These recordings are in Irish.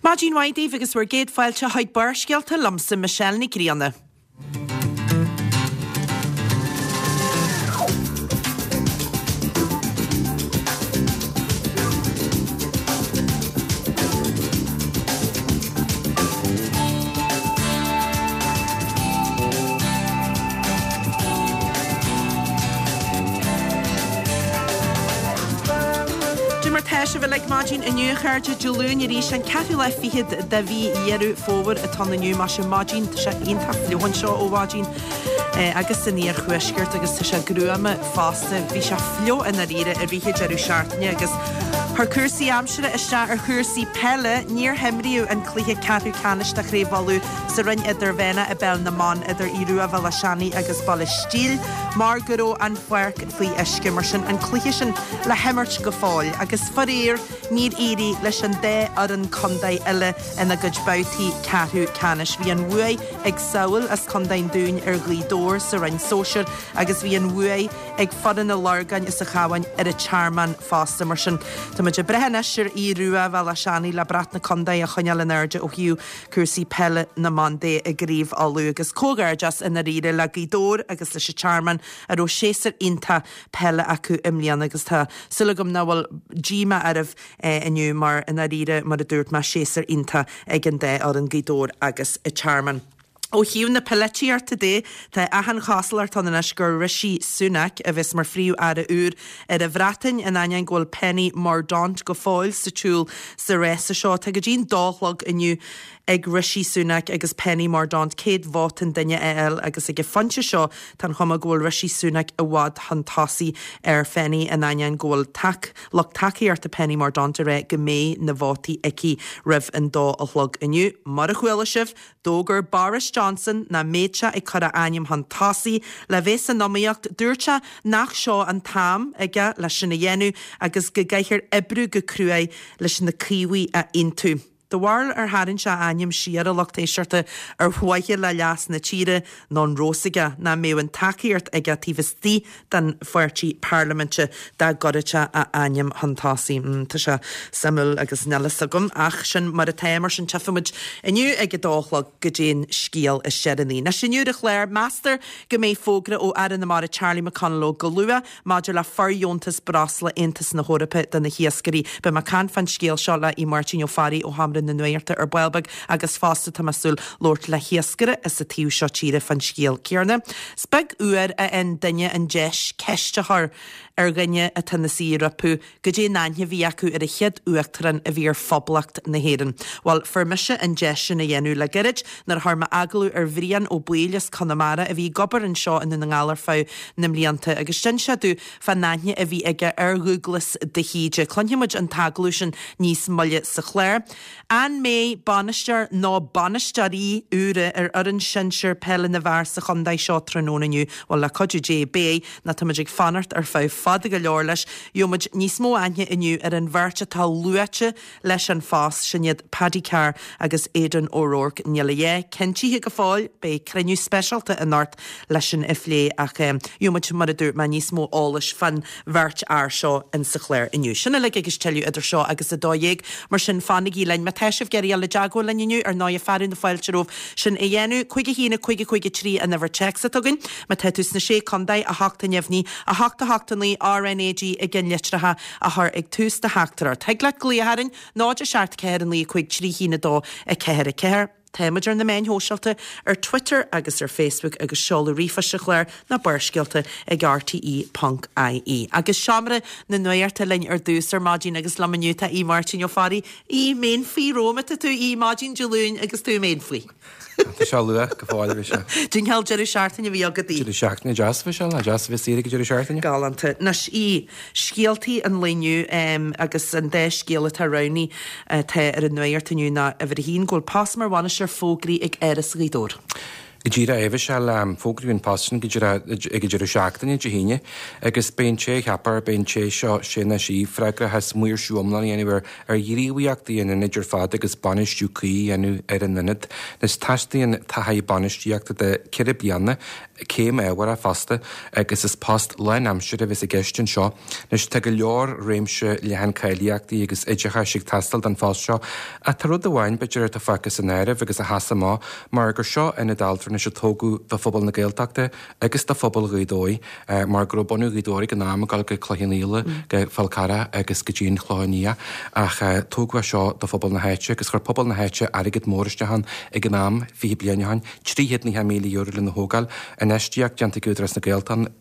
Maidin mhaith daoibh agus bhur gcéad fáilte chuig Barrscéalta liomsa Michelle Nic Grianna. Cad é mar tá sibh uilig maidin inniu a chairde, Dé Luain arís an ceathrú lá fichead de mhí Dheireadh Fómhair atá ann inniu. Maise maidin, tá sé iontach fliuch anseo ó mhaidin agus san iarthuaisceart agus tá sé gruama fosta. Bhí sé fliuch i ndáiríre i rith an deireadh seachtaine agus chuir cúrsaí aimsire isteach ar chúrsaí peile. Níor himríodh an cluiche ceathrú ceannais de Chraobh Uladh sa Roinn Idirmheánach i bPeil na mBan idir Aodh Rua Bhéal Átha Seanaidh agus Baile Stíl mar go raibh an pháirc faoi uisce. Mar sin an cluiche sin le himirt go fóill agus faraor níor éirigh leis an dá fhoireann contae eile ina gcuid babhtaí ceathrú ceannais. Bhí an bhuaidh ag Sabhall as Contae an Dúin ar Ghaoth Dobhair sa Roinn Sóisir agus bhí an bhuaidh ag foireann an Lorgáin as an Chabhán ar an Tearmann fosta. Mar sin, tá muid ag brath anois ar Aodh Rua Bhéal Átha Seanaidh le brat na contae a choinneáil in airde ó thaobh cúrsaí peile na mban de i gCraobh Uladh. Agus comhghairdeas i ndáiríre le Gaoth Dobhair agus leis an Tearmann a raibh séasúr iontach peile acu i mbliana agus tá súil agam nach bhfuil díomá oraibh inniu mar i ndáiríre, mar a dúirt mé, séasúr iontach ag an dá fhoireann, Gaoth Dobhair agus an Tearmann. Ó thaobh na polaitíochta de, tá achan chosúlacht ann anois gur Rishi Sunak a bheas mar Phríomh-Aire úr ar an Bhreatain, in ainneoin go bhfuil Penny Mordaunt go fóill sa tsiúl sa rása seo. Tá go dtí'n dó a chlog inniu ag Rishi Sunak agus Penny Mordaunt 100 vóta an duine a fháil agus ag an phointe seo tá an chuma go bhfuil Rishi Sunak i bhfad chun tosaigh ar Phenny in ainneoin go bhfuil lucht tacaíochta Penny Mordaunt ag rá go mbeidh na vótaí aici roimh an dó a chlog inniu. Mar a chuala sibh, d'fhógair Boris Johnson nach mbeadh sé ag cur a ainm chun tosaigh le bheith san iomaíocht. Dúirt sé nach seo an t-am aige leis sin a dhéanamh agus go gcaithfear oibriú go cruaidh leis na Caomhaigh a aontú. Do bharúil ar tharraing sé a ainm siar, a lucht éisteachta, ar mhaithe le leas na tíre nó an raibh fhios aige nach mbeadh an tacaíocht aige taobh istigh den pháirtí parlaiminte dá gcuirfeadh sé a ainm chun tosaigh? Tá sé suimiúil agus níl fhios agam ach sin mar atá. Mar sin tchífidh muid inniu ag a dó a chlog goidé an scéal is deireanaí. Anois inniu ar an chlár, meastar go mbeidh fógra ó Aire na Mara Charlie McConalogue go luath Maidir le fordheontas breosla Aontas na hEorpa do na hiascairí, beidh mé ag caint fán scéal seo le Aodh Máirtín Ó Fearraigh ó Sheomra na Nuachta ar ball beag agus fosta tá mé ag súil labhairt le hiascaire as an taobh seo tíre fán scéal céarna. Is beag uair a fhaigheann duine an deis ceist a chur ar dhuine atá ina suí rompu Goidé an aithne a bhí acu ar an chéad Uachtarán a bhí ar Phoblacht na hÉireann? Bhuel, fuair mise an deis sin a dhéanamh le gairid nuair a chuir mé agallamh ar Bhrian Ó Baoill as Conamara a bhí ag obair anseo i nDún na nGall ar feadh na mblianta agus d'inis sé domh fán aithne a bhí aige ar Dhúglas de hÍde. Cluinfidh muid an t-agallamh sin níos moille sa chlár. An mbeidh bainisteoir nó bainisteoirí úra ar fhoireann sinsir peile na bhfear sa chontae seo tráthnóna inniu? Bhuel, le cuidiú Dé, beidh, nó tá muid ag fanacht ar feadh fada go leor leis. Gheobhaidh muid níos mó aithne inniu ar an bheirt atá luaite leis an phost, sin iad Paddy Carr agus Aidan O'Rourke. Níl a dhath cinntithe go fóill, beidh cruinniú speisialta anocht leis sin a phlé ach gheobhaidh muid, mar a dúirt mé, níos mó eolais fán bheirt fhear seo insa chlár inniu. Sin uilig agus tuilleadh idir seo agus 12, mar sin fanaigí linn. Má tá sibh ag iarraidh dul i dteagmháil linn inniu, ar ndóighe fearadh na fáilte romhaibh sin a dhéanamh. 5 1 5 5 3 an uimhir téacs atá againn. Má tá tú sna Sé Contae, 8 neamhní, 8 8 9 RnaG i gceannlitreacha a chur ag tús do theachtaireacht. Thig leat glaoch orainn, 0 7 4 9 5 3 1 2 4 4. Táimid ar na meáin shóisialta, ar Twitter agus ar Facebook agus seoladh ríomhphoist an chláir ná Barrscéalta ag rte ponc ie. Agus Seomra na Nuachta linn ar dtús ar maidin agus liom inniu tá Aodh Máirtín Ó Fearraigh. Aodh, méan faoi romham atá tú, Aodh, maidin Dé Luain agus tú méan faoi. Tá sé luath go fóill, bhí sé. Cén cineál deireadh seachtaine a bhí agat, Aodh? Deireadh seachtaine deas a bhí sé, lá deas a bheith saor ag an deireadh seachtaine. Galánta. Anois, Aodh, scéaltaí an lae inniu agus an dá scéal atá roghnaithe atá ar an nuacht inniu ná uimhir a haon, go bhfuil post mar bhainisteoir fógraí ag Áras Ghaoth Dobhair. Go díreach, a Mhichelle, fógraíodh an post sin go díreach ag an deireadh seachtaine, Dé hAoine, agus beidh an té a cheapfar, beidh an té seo, sé nó sí, freagrach as maoirsiú iomlán a dhéanamh ar ar ghníomhaíochtaí an ionaid ar fad agus bainistiú cuí a dhéanamh ar an ionad. Anois, teastaíonn taithí bainistíochta de cheithre bliana, céim ábhartha fosta, agus is post lánaimseartha a bheas i gceist anseo. Anois, tá go leor réimse leathan cáilíochtaí agus oideachais ag teastáil don phost seo, ach tá rud amháin, b'fhéidir, atá fágtha san áireamh agus a sheas amach, mar gur seo ionad altranais a tógadh do phobal na Gaeltachta agus do phobal Ghaoth Dobhair, mar go raibh bunadh Ghaoth Dobhair ag an am ag dul go Cloich Cheann Fhaola, go Fál Carrach agus go dtí an Chlochán Liath, ach tógadh é seo do phobal na háite agus chuir pobal na háite airgead mór isteach ann ag an am, 20 bliain ó shin, €390,000 lena thógáil, infheistíocht déanta ag Údarás na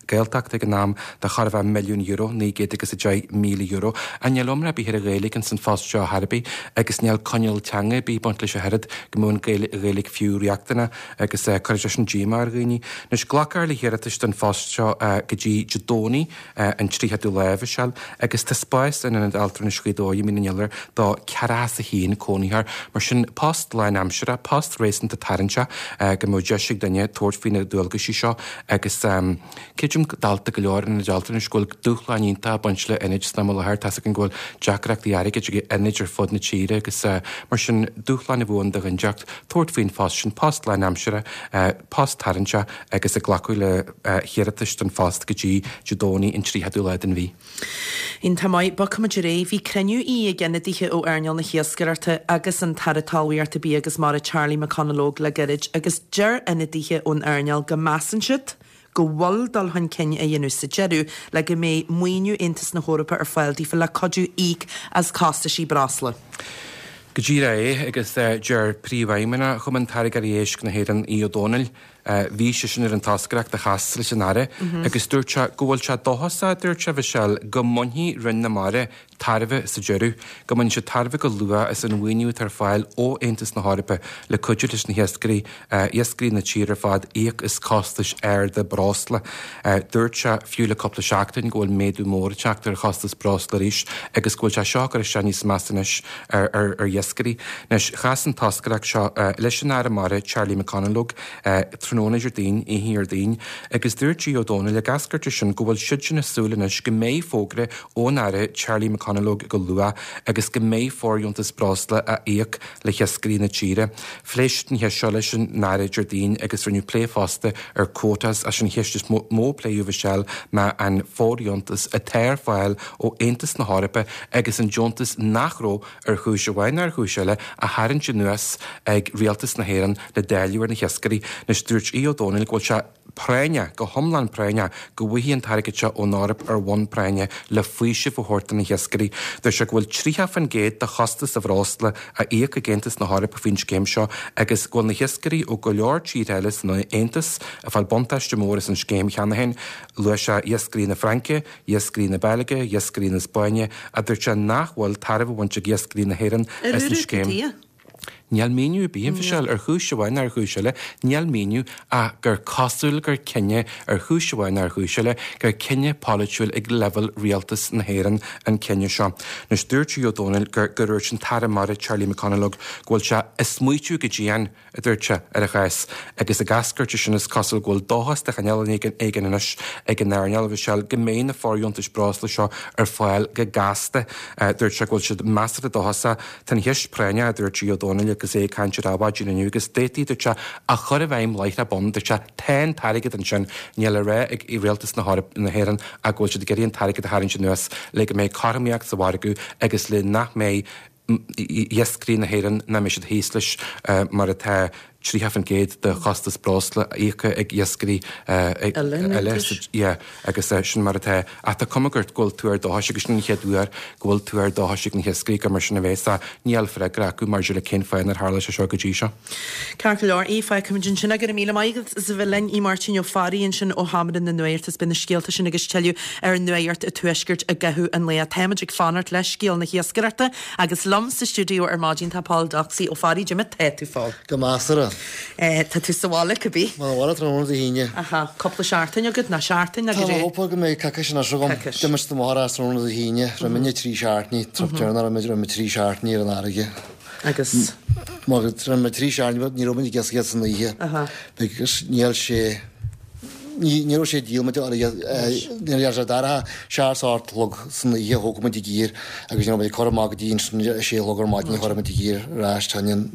Gaeltachta ag an am de chóir a bheith €1,000,000, €910,000. Ach níl iomrá ar bith ar an Ghaeilge ins an phost seo ar chor ar bith agus níl coinníoll teanga ar bith ag baint leis ach oiread go mbeadh an Ghaeilge fiú riachtanach agus cuirfidh sé sin díomá ar dhaoine. Anois glacfar le hiarratais don phost seo go dtí Dé Domhnaigh an 30ú lá, a Mhichelle, agus tá spás in Ionad Altranais Ghaoth Dobhair i Mín an Iolair do 41 cónaitheoir. Mar sin post lánaimseartha, post réasúnta tarraingteach go mbeadh deis ag duine tabhairt faoi na dualgaisí seo agus creidim dálta go leor ionaid altranais go bhfuil dúshláin iontacha ag baint le ionaid san am i láthair. Tá's againn go bhfuil deacrachtaí airgid ag ionaid ar fud na tíre agus mar sin dúshláin a bheadh ann do dhuine inteacht tabhairt faoin phost sin, post lánaimseartha, post tarraingteach agus ag glacadh le hiarratais don phost go dtí Dé Domhnaigh an 30ú lá den mhí. Iontach maith. Bogfaimid ar aghaidh. Bhí cruinniú ag ionadaithe ó earnáil na hiascaireachta agus an tAire Talmhaíochta, Bia agus Mara Charlie McConalogue le gairid agus deir ionadaithe ón earnáil go measann siad go bhfuil dul chun cinn á dhéanamh sa deireadh le go mbeidh maoiniú Aontas na hEorpa ar fáil daofa le cuidiú íoc as costaisí breosla. Go díreach é, agus deir Príomhfheidhmeannach Chumann Táirgeoirí Éisc na hÉireann, Aodh Ó Domhnaill, Bhí seisean ar an toscaireacht a chas leis an Aire agus dúirt sé go bhfuil sé dóchasach, a dúirt sé, Mhichelle, go mbainfidh Roinn na Mara tairbhe sa deireadh, go mbainfidh siad tairbhe go luath as an mhaoiniú atá ar fáil ó Aontas na hEorpa le cuidiú leis na hiascairí, iascairí na tíre ar fad íoc as costais arda breosla. Dúirt sé, fiú le cúpla seachtain, go bhfuil méadú mór ag teacht ar chostas breosla arís agus go bhfuil sé seo ag cur isteach níos measa anois ar iascairí. Anois, chas an toscaireacht seo leis an Aire Mara, Charlie McConalogue, tráthnóna Déardaoin, oíche Dhéardaoin, agus dúirt Aodh Ó Domhnaill ag eascairt as sin go bhfuil siadsan ag súil anois go mbeidh fógra ón Aire Charlie McConalogue go luath agus go mbeidh fóirdheontas breosla á íoc le hiascairí na tíre. Phléigh siad an cheist seo leis an Aire Déardaoin agus rinneadh plé fosta ar quotas ach an cheist is mó a pléadh, Mhichelle, ná an fóirdheontas atá ar fáil ó Aontas na hEorpa agus an deontas nach raibh, ar chúis amháin nó ar chúis eile, á tharraingt anuas ag Rialtas na hÉireann le dáileadh ar na hiascairí. Anois, dúirt Aodh Ó Domhnaill go bhfuil sé práinneach, go hiomlán práinneach, go bhfaighidh an t-airgead seo ón Eoraip ar bhonn práinne le faoiseamh a thabhairt do na hiascairí. Dúirt sé go bhfuil 30% de chostas an bhreosla á íoc ag Aontas na hEorpa faoin scéim seo agus go bhfuil na hiascairí ó go leor tíortha eile san Aontas ag fáil buntáiste mór as an scéim cheana féin. Luaigh sé iascairí na Fraince, iascairí na Beilge, iascairí na Spáinne, a dúirt sé nach bhfuil tairbhe á bhaint ag iascairí na hÉireann as an scéim. Níl míniú ar bith, a Mhichelle, ar chúis amháin nó ar chúis eile, níl míniú ach gur cosúil gur cinneadh, ar chúis amháin nó ar chúis eile, gur cinneadh polaitiúil ag leibhéal rialtas na hÉireann an cinneadh seo. Anois, dúirt Aodh Ó Domhnaill gur dúirt an tAire Mara Charlie McConalogue go bhfuil sé ag smaoitiú go dian, a dúirt sé, ar an chás, agus ag eascairt as sin is cosúil go bhfuil dóchas de chineál éigin anois ag an earnáil, a Mhichelle, go mbeidh na fóirdheontais breosla seo ar fáil go gasta. Dúirt sé go bhfuil siad measartha dóchasach. Tá an cheist práinneach, a dúirt Aodh Ó Domhnaill agus é ag caint ar Adhmhaidin inniu, agus d'fhéadfaí, dúirt sé, a chur i bhfeidhm láithreach bonn. Dúirt sé, tá an t-airgead ansin, níl á rá ag Rialtas na hÉireann ach go bhfuil siad ag iarraidh an t-airgead a tharraingt anuas le go mbeidh cothromaíocht sa mhargadh agus le nach mbeidh iascairí na hÉireann nach mbeidh siad thíos leis mar atá 30% de chostas breosla íoctha ag iascairí eile yeah agus sin mar atá. Ach tá cuma go bhfuil tuar dóchais agus sin an chéad uair go bhfuil tuar dóchais ag na hiascairí gur mar sin a bheas ach níl freagra acu maidir le cén fáth nár tharla sé seo go dtí seo. Ceart go leor, Aodh, fágfaimid ansin é. Go raibh míle maith agat as a bheith linn, Aodh Máirtín Ó Fearraigh ansin ó Sheomra na Nuachta is beidh na scéalta sin agus tuilleadh ar Nuacht an Tuaiscirt i gcaitheamh an lae. Táimid ag fanacht le scéal na hiascaireachta agus liom sa stiúideo ar maidin tá Pól Doxey ó Fearraigh. Cad é mar tá tú, Phól? Go measartha. Tá tú sa bhaile, cibé? Mé sa bhaile tráthnóna Dé hAoine. Aha, cúpla seachtain agat, nó seachtain, nó Tá mé ag hope go mbeidh coicís anois agam. Coicís. D'imigh do mháthair as tráthnóna Dé hAoine, raibh muidne trí seachtainí, trip deireanach, raibh muid trí seachtainí ar an fharraige. Agus? Má rinne muid trí seachtaine, ní raibh muid ag iascaireacht san oíche because níl sé, ní raibh sé díol muid ní raibh sé dorcha, seacht is a chlog san oíche a thóg muid i dtír agus ní raibh muid ag cur amach go dtí ansin a sé a chlog ar maidin a chuir muid i dtír ar ais tá an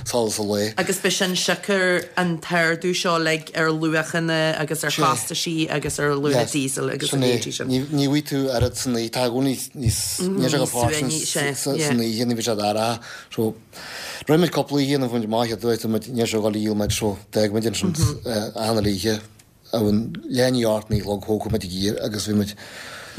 solas an lae. Agus b'shin siocair an t-ardú seo uilig ar luachanna agus ar chostaisí agus ar luach diesel agus a leithéidí sin. Ní bhfaighidh tú oiread san oíche, tá i gcónaí níos, níl sé go fairsing san oíche, ní bhíonn sé dorcha. So, rinne muid cúpla oíche ina bhfuil muid maith dúirt muid níl sé ag dul a dhíol muid so d'fhág muid ansin achan uile oíche amhain leath i ndiaidh a 8 9 a chlog thóg muid i dtír agus bhí muid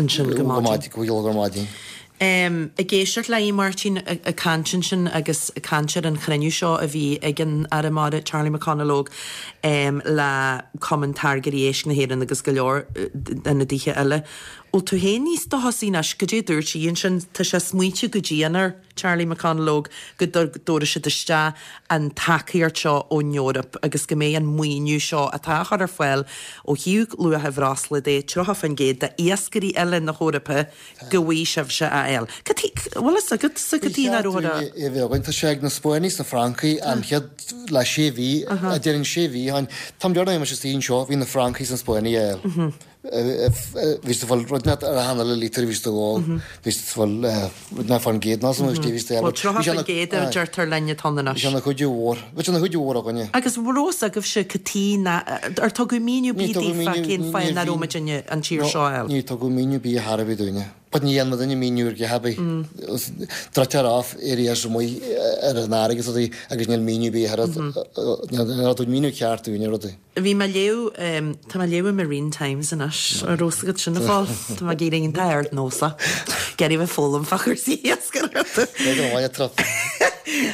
ansin go maidin. go chlog ar maidin. Ag éisteacht le Máirtín ag caint ansin agus ag caint ar an chruinniú seo a bhí ag an Aire Mara Charlie McConalogue le Cumann Táirgeoirí Éisc na hÉireann agus go leor ionadaithe eile. Bhfuil tú féin níos dóchasaí anois? Goidé a dúirt sí ansin? Tá sé smaointe go dian air. Charlie McConalogue, go dtabharfaidh siad isteach an tacaíocht seo ón Eoraip agus go mbeidh an maoiniú seo atá á chur ar fáil ó thaobh luacha bhreosla de, 30% d'iascairí uile na hEorpa, go bhfaighidh sibhse a fháil. Cad chuige, bhfuil fhios agat sa cad chuige nach raibh ar a. É bheith againn. Tá sé ag na Spáinnigh is na Francaigh an chéad le sé mhí, a deireann sé mhí ó shin. Tá mé dearna mise istigh anseo, bhí na Francaigh is na Spáinnigh a fháil. Bhí siad ag fáil rud inteacht ar achan uile lítear a bhí siad ag ól. Bhí siad ag fáil rud inteacht fán gcéad nó san bhí siad Bhuel, 30% a deirtear linn atá ann anois. Bhí sé ina chuidiú mhór. Bhí sé ina chuidiú mhór againne. Agus raibh fhios agaibhse cad chuige ná, ar tugadh míniú ar bith daoibh cén fáth nach raibh muidinne an tír seo a fháil? Níor tugadh míniú ar bith ar chor ar bith dúinne. But ní dhéanann duine míniú ar dhath ar bith. Druidtear off areas amuigh ar an fharraige is rudaí agus níl míniú ar bith ar níl tugadh míniú ceart dúinne ar rudaí. Bhí mé ag léamh, tá mé ag léamh an Marine Times anois, an raibh fhios agat sin a Phóil? Tá mé ag éirí iontach ardnósach, ag iarraidh bheith ag foghlaim fá chúrsaí iascaireachta. Beidh an bhaile trup.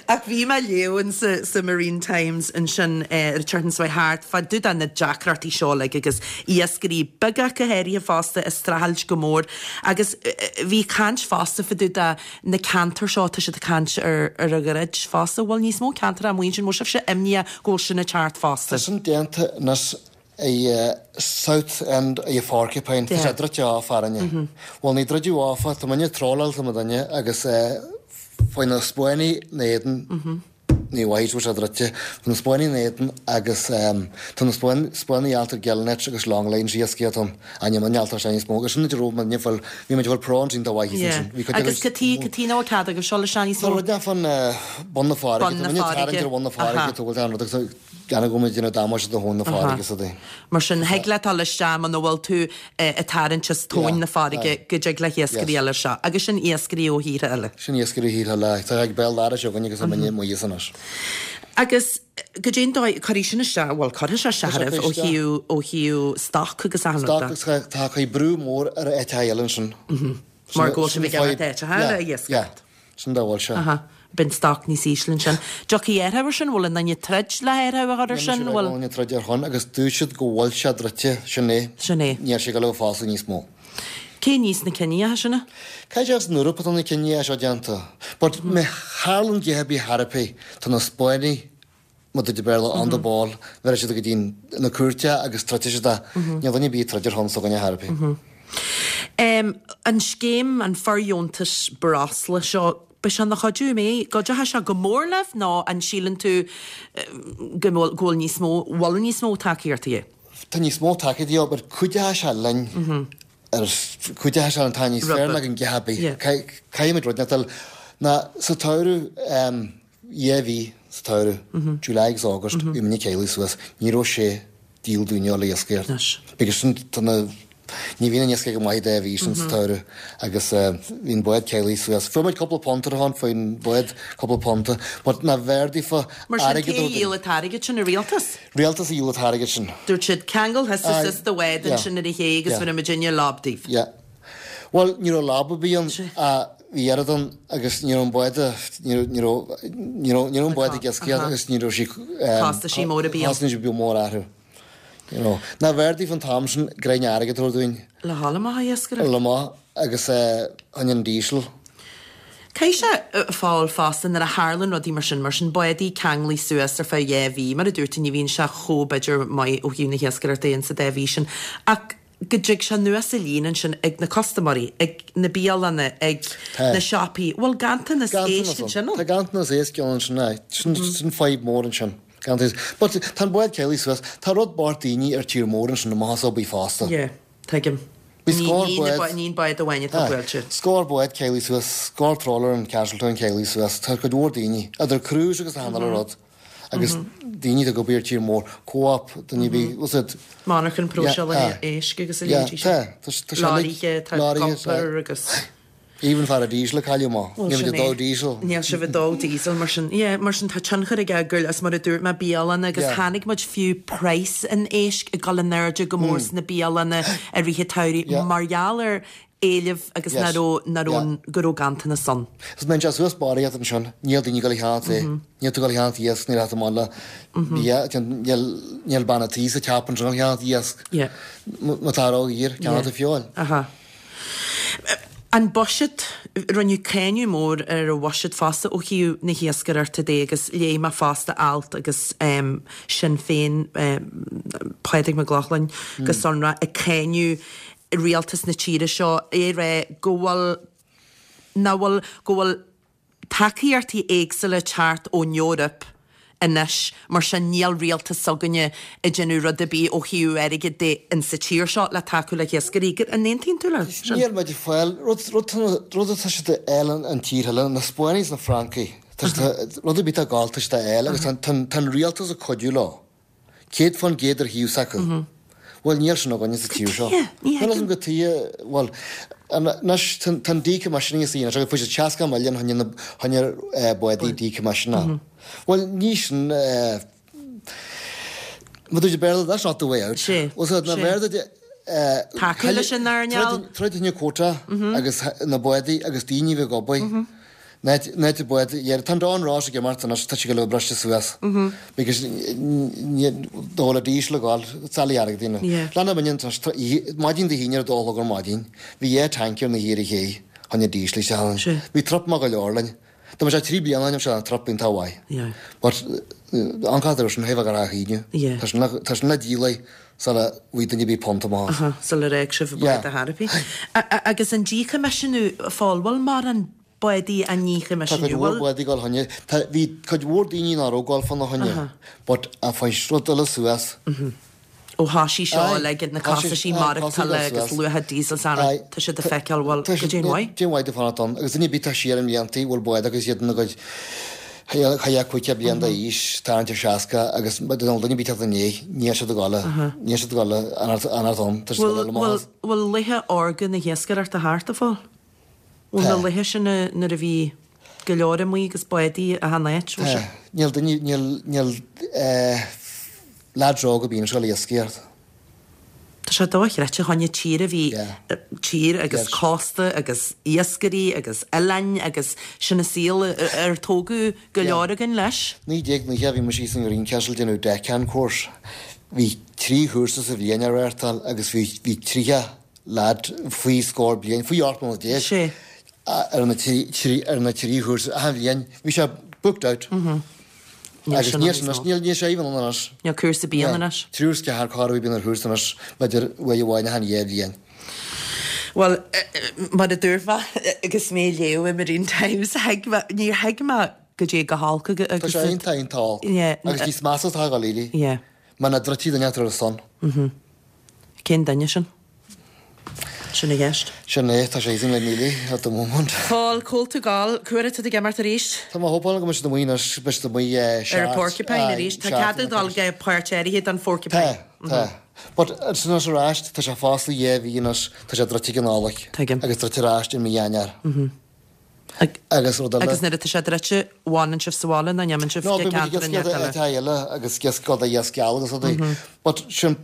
Ach bhí mé ag léamh in sa, sa Marine Times ansin ar an tseachtain seo thart fá dtaobh de na deacrachtaí seo uilig agus iascairí beaga go háirithe fosta ag streachailt go mór agus bhí caint fosta fá dtaobh de na ceantair seo, tá siad ag caint ar ar an dhruid fosta, bhfuil níos mó ceantar amuigh ansin, bhfuil sibhse imníoch go bhfuil sin ag teacht fosta? Tá sin déanta anois i South End i Porcupine, tá sé druidte off farainne. Bhuel ní druideadh off, tá muidne ag trawláil tá muidinne agus faoi na Spáinnigh na éadan, Ní mhaith go bhfuil sé druidte. Tá na Spáinnigh in éadan agus tá na Spáinnigh ábalta gillnets agus longlines a iascaireacht ann. Ach níl muidne ábalta isteach níos mó. Agus sin an raibh muidne fáil, bhí muid ag fáil prawns iontach mhaith thíos ansin. Bhí cuid Agus cad chuige, cad chuige nach bhfuil cead agaibh dul isteach níos mó? Tá rud fán bun na farraige. Bun na farraige. Tá muidne ag tarraingt ar bhun na farraige, tá bhfuil an rud agus gan go bhfuil muid ag déanamh damáiste do thóin na farraige is rudaí. Mar sin, thig leat dul isteach muna bhfuil tú ag tarraingt as tóin na farraige go dtig le hiascairí eile seo. Agus sin iascairí ó thíortha eile. Sin iascairí ó thíortha eile. Tá ag béal dorais againn agus muidne amuigh as anois. Agus goidé an dóigh, cuirfidh sin isteach, bhuel cuirfidh sé isteach oraibh ó thaobh, ó thaobh stoc agus achan rud de. Stoc agus tá cuid brú mór ar áiteacha eile ansin. Mar go bhfuil sibh ag imeacht áiteacha eile a iascaireacht. Sin dá bhfuil sé. Aha. Bíonn stoc níos ísle ansin. Dtiocfaidh athrú ar sin? Bhfuil aon duine ag troid le hathrú a chur ar sin? Bhfuil. Níl aon duine ag troid ar shon agus dúirt siad go bhfuil sé druidte, sin é. Sin é. Níl sé ag dul a bheith foscailte níos mó. Cé níos na cinníocha sin? Caithfidh sé as an Eoraip atá na cinníocha seo déanta. But má tharlaíonn a dhath ar bith thar ar bith, tá na Spáinnigh, mar a deir Béarla, on the ball, bheirfidh siad go dtí na cúirte agus troidfidh siad é. Níl duine ar bith ag troid ar shon s'againne thar ar bith. An scéim, an fordheontas breosla seo, beidh sé ina chuidiú, an mbeidh? Gcuideoidh sé go mór libh nó an síleann tú go bhfuil, go bhfuil níos mó, bhfuil níos mó tacaíochta de dhíth? Tá níos mó tacaíochta de dhíth but cuideoidh sé linn ar, cuideoidh sé linn, tá níos fearr ná gan a dhath ar bith. Caithfidh muid rud inteacht a fháil. Ná sa tsamhradh, 2 mhí sa tsamhradh, July agus August, bhí muidne ceanglaithe suas, ní raibh sé díol dúinne a dhul ag iascaireacht. Because sin tá na, ní bhíonn an iascach go maith 2 mhí sin sa tsamhradh agus bhí an bád ceanglaithe suas. Fuair muid cúpla punt ar a shon, fuair an bád cúpla punta, but ná b'fhearr daofa Mar sin airgead cé a dhíol an t-airgead sin, an rialtas? Rialtas a dhíol an t-airgead sin. Dúirt siad, ceangail thusa suas do bhád ansin ar an ché agus bhéarfaidh muidinne lob daoibh. Yeah. Bhuel, ní raibh lob ar bith ann ach bhí oiread ann agus ní raibh an bád, ní raibh, ní raibh, ní raibh, ní raibh an bád ag iascaireacht agus ní raibh sí, Costaisí móra bhí ann. Costaisí bhí mór orthu. You know. Ná b'fhearr daofa an t-am sin greim airgid a thabhairt dúinn. Le dhul amach a iascaireacht. Le amach agus an diesel. Caithfidh sé fáil fosta nuair a tharlann rudaí mar sin, mar sin bádaí ceanglaithe suas ar feadh 2 mhí, mar a dúirt tú ní bhíonn sé chomh b'fhéidir maith ó thaobh na hiascaireachta in sa dá mhí sin ach. go dtig sé anuas an líne ansin ag na custaiméirí, ag na bialanna, ag na siopaí. Bhfuil ganntanas éisc ansin ann? Tá ganntanas éisc ann ansin, aye. Sin sin fadhb mór ansin. Ganntanas. But tá an bád caolaitheach suas. Tá rud bocht daoine ar tír mór ansin amach as obair fosta. Yeah, tuigim. Bhí scór bád. Ní an bád amháin atá buailte. Scór bád caolaitheach suas, scór trawler in Castletown caolaitheach suas. Tá cuid mhór daoine, idir crews agus achan uile rud. Agus daoine atá ag obair ar tír mór, co-op, duine ar bith, what's it? Monarchan próiseála éisc agus a leithéidí sin. Yeah, tá, tá sé uilig. Lorraithe, tá iompar agus. Even fear diesel a cailleadh amach. Níl muid ag dó diesel. Níl sibh ag dó diesel mar sin. Yeah, mar sin tá tionchar aige gur, is mar a dúirt mé, bialanna agus chonaic muid fiú praghas an éisc ag dul in airde go mór sna bialanna i rith an tsamhraidh mar gheall ar éileamh agus nach raibh, nach raibh, go raibh ganntanas ann. Is má bhíonn sé suas barraíocht ansin, níl daoine ag dul a cheannacht é. Níl tú ag dul a cheannacht iasc, níl leat amach le bia, níl, níl bean a' tí sa teap ansin ag ceannacht iasc. Má tá ródhaor, ceannacht a feoil. Aha. An buiséad, rinneadh cáineadh mór ar an bhuiséad fosta ó thaobh na hiascaireachta de agus léigh mé fosta alt agus Sinn Féin, Pádraig Mac Lochlainn go sonrach, ag cáineadh rialtas na tíre seo, é ag rá go bhfuil, nach bhfuil, go bhfuil tacaíochtaí éagsúla ag teacht ón Eoraip anois, mar sin níl rialtas s'againne ag déanamh rud ar bith ó thaobh airgid de in sa tír seo le tacú le hiascairí. An aontaíonn tú leis sin? Níl muid ag fáil, rud, rud, rud atá siad a fháil an tír eile, na Spáinnigh is na Francaigh, tá siad, rud ar bith atá ag gabháil tá siad a fháil agus tá, tá, tá an rialtas ag cuidiú leo. 100% ar thaobh s'acu. Bhuel, níl sin againne sa tír seo. Ní thuigim. Níl go tuighe, bhuel, anois, tá an decommissioning is anois, agus fuair siad 60 milliún chun na, chun na bádaí decommissionáil. Bhuel, ní sin, má dúirt Béarla, that's not the way out. Sé, Bhuel, so, na Béarla de, Tacú leis an earnáil. Troid na quota agus na bádaí agus daoine a bheith ag obair. Náit a bád, yeah, tá an Don Ross ag imeacht anois, tá sé go leor briste suas. Because dá bhfuil a diesel ag gabháil, it's all airgead daoine. Lean muidne anois, maidin Dé hAoine ar a dó a chlog ar maidin, bhí dhá tanker na thiar a ché, chun na diesel isteach ann. Bhí trip maith go leor linn. Dá mbeadh sé trí bliana ó shin, bheadh an trip iontach mhaith. But an cathair sin, thaobh a gach aoinne. Tá sin le, tá sin le díol sula bhfaighidh duine ar bith punt amach. Sular fhág sibh an bád ar chor ar bith. Agus an díchoimisiúnú, a Phóil, bhfuil mórán bádaí á ndíchoimisiúnú? Tá cuid mhór bádaí ag dul choinne. Tá, bhí cuid mhór daoine nach raibh ag dul fána choinne, but a fuair rud eile suas. Ó thoisigh seo uilig, na costaisí maireachtála agus luacha diesel is araile, tá siad ag feiceáil, bhuel, goidé an mhaith? Goidé an mhaith domh fanacht ann. Agus duine ar bith atá siar i mbliantaí, bhfuil bád acu is iad ina gcuid chaith 50 bliain d'aois, tarraingt ar 60 agus duine ar bith teacht i ndiaidh, níl siad ag dul, níl siad ag dul fanacht ann, tá siad ag dul amach as. Bhfuil laethe órga na hiascaireachta thart, a Phóil? Bhfuil na laethe sin nuair a bhí go leor amuigh agus bádaí achan áit, bhfuil sé? Níl duine, níl, níl lads óga bíonn ag dul iascaireacht. Tá sé dochreidte choinne tír a bhí, tír agus cósta agus iascairí agus oileáin agus sin an saol ar tógadh go leor againn leis. 1990 bhí mise thíos in Greencastle ag déanamh deckhand course. Bhí trí chúrsa sa bhliain á reáchtáil agus bhí, bhí 30 lad faoi scór bliain, faoi 18 mbliana Sé. ar na trí, ar na trí chúrsa achan bhliain. Bhí sé booked out. Níl Agus sin níl ann sin níos anois, mó. níl, níl sé even ann anois. Níl cúrsa ar bith ann anois. Triúr is ceathrar corradh a bhíonn ar chúrsa anois, b'fhéidir uair amháin achan dhá bhliain. Bhuel, mar a dúirt mé agus mé ag léamh i Marine Times, thuig mé, níor thuig mé goidé chomh holc agus Tá sé iontach, iontach olc. Yeah. Agus níos measa atá ag dul éirí. Yeah. Mar na druidtí duine atá ar a son. Cén duine sin? Sin an cheist. Sin é, tá sé easy le Neely at the moment. Pól, cá bhfuil tú ag gabháil, cá huair atá tú ag imeacht arís? Tá mé hopáil go mbeidh siad amuigh anois, beidh siad amuigh seacht. Ar an Porcupine arís? Tá cead ag dul go páirt áirithe den Phorcupine. Tá, tá. But ansin anois ar ais, tá sé fosta dhá mhí anois, tá sé druidte ag an Nollaig. Tuigim. Agus druidte ar ais i mí Eanáir. Agus rud eile. Agus nuair atá sé druidte, bhfanann sibh sa bhaile nó an imíonn sibh No, go bíonn muid ag ceantar inteacht iascaireacht eile? áiteacha eile agus iasc gabháil d'iasc geal agus rudaí. But sin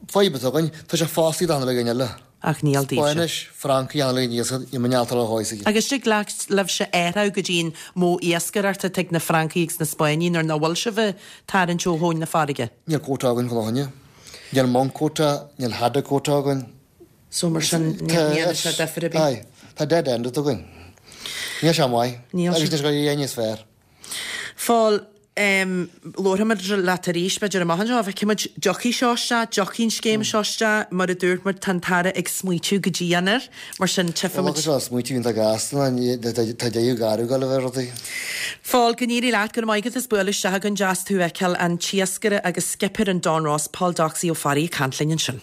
fadhb atá againn, tá sé fostaithe d'achan uile dhuine eile. Ach níl daoibhse. Spáinnis, Francaigh, achan uile dhuine iasc, níl muid ábalta a chóis aige. Agus tig libhse athrú go dtí an modh iascaireachta atá ag na Francaigh agus na Spáinnigh nuair nach bhfuil sibh ag tarraingt ó thóin na farraige? Níl quota againn fána choinne. Níl monk quota, níl haddock quota againn. So mar sin ní dhéanann sé difear ar bith. Aye. Tá dead end againn. Níl sé maith. Níl sé. Agus níl sé ag éirí níos fearr. Phól. Labharfaimid leat arís, b'fhéidir amach anseo, feicfimid, dtiocfaidh seo isteach, dtiocfaidh an scéim seo isteach, mar a dúirt muid, tá an tAire ag smaoitiú go dian air, mar sin tchífimid. Bhuel, tá smaoitiú iontach gasta, tá deireadh gairid ag dul a bheith rudaí. Phóil, go n-éirí leat, go raibh maith agat as bualadh isteach chugainn, deas tú a fheiceáil, an t-iascaire agus skipper an Don Ross, Paul 'Doxy' Ó Fearraigh ag caint linn ansin.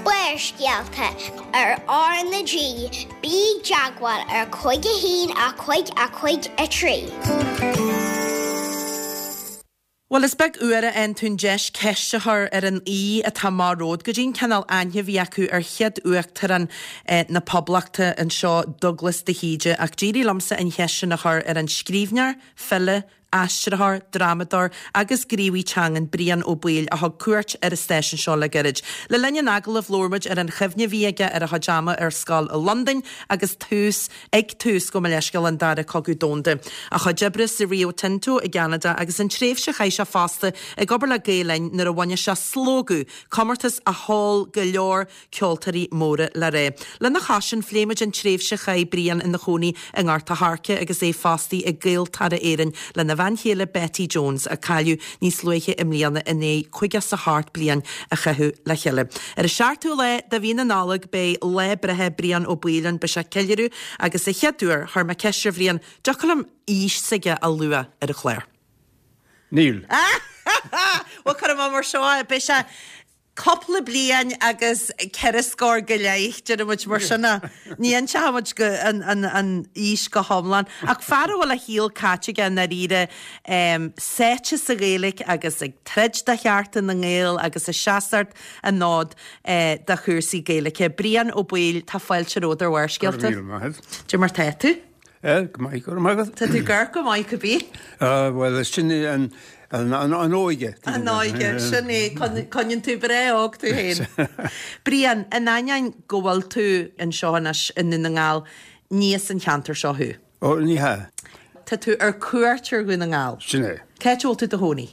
Barrscéalta ar R na G, bí i dteagmháil ar 5 1 5 5 3. Bhuel, is beag uair a fhaigheann tú an deis ceist a chur ar an aoi atá amach romhat, goidé an cineál aithne a bhí acu ar chéad Uachtarán na Poblachta anseo, Dubhghlas de hÍde, ach d'éirigh liomsa an cheist sin a chur ar an scríbhneoir, file, aistritheoir, drámadóir agus gníomhaí teangan Brian Ó Baoill a thug cuairt ar an stáisiún seo le gairid. Le linn an agallaimh labhair muid ar an chuimhne a bhí aige ar a chuid ama ar scoil i Londain agus tús ag tús, gabh mo leithscéal, an Dara Cogadh Domhanda. A chuid oibre sa Rio Tinto i gCeanada agus an tréimhse a chaith sé fosta ag obair le Gael Linn nuair a bhunaigh sé Slógadh, comórtas a mheall go leor ceoltóirí móra le rá. Lena chois sin, phléigh muid an tréimhse a chaith Brian ina chónaí i nGort a' Choirce agus é fostaithe ag Gaeltarra Éireann lena bhean chéile Betty Jones, a cailleadh níos luaithe i mbliana i ndiaidh 58 bliain a chaitheamh le chéile. Ar an seachtú lá de mhí na Nollag beidh lá breithe Brian Ó Baoill ann, beidh sé ag ceiliúradh agus a chéad uair, chuir mé ceist ar Bhrian, dtiocfadh liom aois s'aige a lua ar an chlár? Níl. Bhuel, cuirfidh mé mar seo é, beidh sé Cúpla bliain agus ceithre scór go leith, déarfaidh muid mar sin é. Ní inseoidh muid go, an, an, an aois go hiomlán. Ach fear a bhfuil a shaol caite aige i ndáiríre, sáite sa Ghaeilge agus ag troid do chearta na nGael agus ag seasamh an fhóid do chúrsaí Gaeilge. Brian Ó Baoill, tá fáilte romhat ar Bharrscéalta. Go raibh míle maith agat. Cad é mar tá tú? Eh, go maith, go raibh maith agat. Tá tú ag amharc go maith, cibé. Ah, bhuel, sin é an, an, an, an óige. An óige, sin é, coinníonn tú breá óg tú féin. Brian, in ainneoin go bhfuil tú anseo anois i nDún na nGall, ní as an cheantar seo thú. Ó, ní hea. Tá tú ar cuairt ar Dhún na nGall. Sin é. Cá háit a bhfuil tú i do chónaí?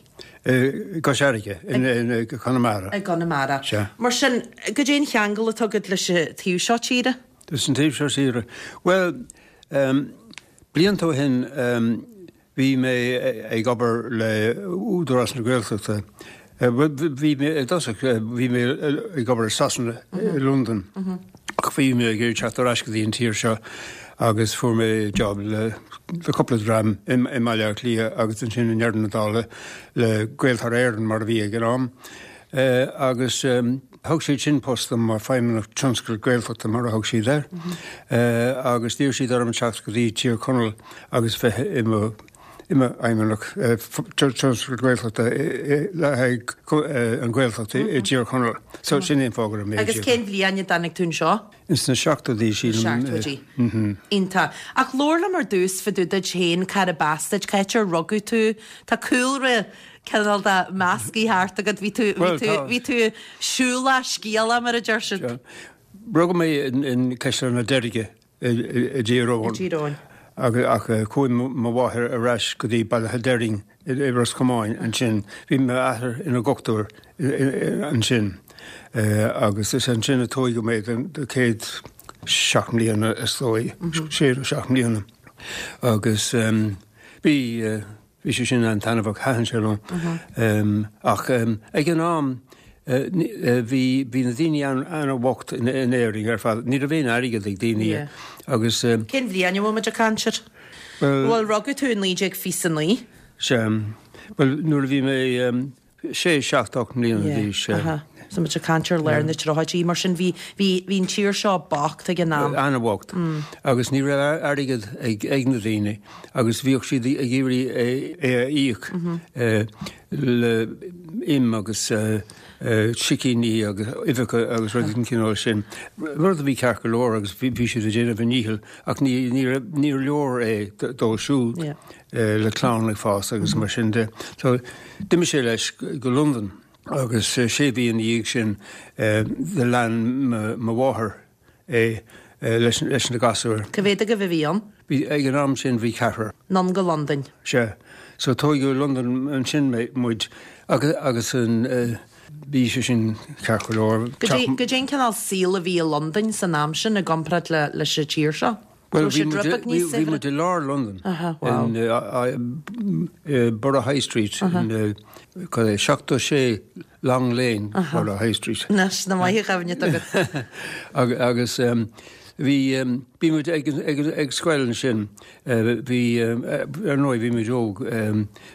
I gCois Fharraige, i gConamara. I gConamara. Sea. Mar sin, goidé an cheangal atá agat leis an taobh seo tíre? Leis an taobh seo tíre? Bhuel, blianta ó shin bhí mé ag obair le Údarás na Gaeltachta. Bhí mé, i dtosach, bhí mé ag obair i Sasana, i Londain, ach bhí mé ag iarraidh teacht ar ais go dtí an tír seo agus fuair mé job le cúpla dream i mBaile Átha Cliath agus ansin i ndeireadh na dála le Gaeltarra Éireann mar a bhí ag an am. Agus thug siad sin post dom mar Feidhmeannach Tionscail Gaeltachta mar a thug siad air. Agus d'iarr siad orm teacht go dtí Tír Chonaill agus bheith i mo i mo Fheidhmeannach Tionscail Gaeltachta le haghaidh an Ghaeltacht i dTír Chonaill. So sin é an fáth go raibh mé Agus cén bhliain a dtáinig tú anseo? Ins na seachtóidí sílim. Seachtóidí. Iontach. Ach labhair liom ar dtús fá dtaobh duit féin, cárb as duit, cá háit ar rugadh tú? Tá cúlra cineál de meascaí thart agat, bhí tú, bhí tú, bhí tú siúlach scéalach mar a deir siad. Rugadh mé in Caisleán na Deirge i dTír Eoghain. I Dtír Eoghain. Ach chuaigh mo mháthair ar ais go dtí Baile Átha Deraing i Ros Comáin ansin. Bhí m'athair ina dhochtúir ansin agus is ansin a tóigeadh mé don chéad seacht mbliana is dóigh, sé nó seacht mbliana. Agus bhí Bhí sé sin an-taitneamhach, thaitin sé liom. Ach ag an am bhí bhí na daoine an-bhocht in Éirinn ar fad. Ní raibh aon airgead ag daoine agus. Cén bhliain a bhfuil muid ag caint air? Bhuel, rugadh tú i 1929. Sea. Bhuel, nuair a bhí mé sé, seacht, 8 mbliana d'aois. Aha. So muid ag caint ar lár na dtríochaidí, mar sin bhí, bhí, bhí an tír seo bocht ag an am. An-bhocht. Agus ní raibh airgead ag, ag na daoine agus bhíodh siad ag iarraidh é, é a íoc le im agus sicíní agus uibheacha agus rudaí den chineál sin. Rud a bhí ceart go leor agus bhí, bhí siad ag déanamh a ndícheall ach ní, ní raibh, níor leor é dóibh siúd. le clann ag fás agus mar sin de. So d'imigh sé leis go Londain agus sé mhí ina dhiaidh sin do lean mo mháthair é leis leis na gasúir. Cá mhéad agaibh a bhí ann? Bhí, ag an am sin bhí ceathrar. Anonn go Londain. Sea. So tóigeadh i Londain ansin muid agus agus an bhí sé sin ceart go leor. Goidé an cineál saoil a bhí i Londain san am sin i gcomparáid le leis an tír seo? Bhuel, bhí muid, bhí muid i lár Londain, in Borough High Street, in, cad é, 76 Long Lane, Borough High Street. Anois, nach maith an chuimhne atá agat. Agus bhí, bhí muid ag, ag, ag scoil ansin, bhí, ar ndóigh, bhí muid óg,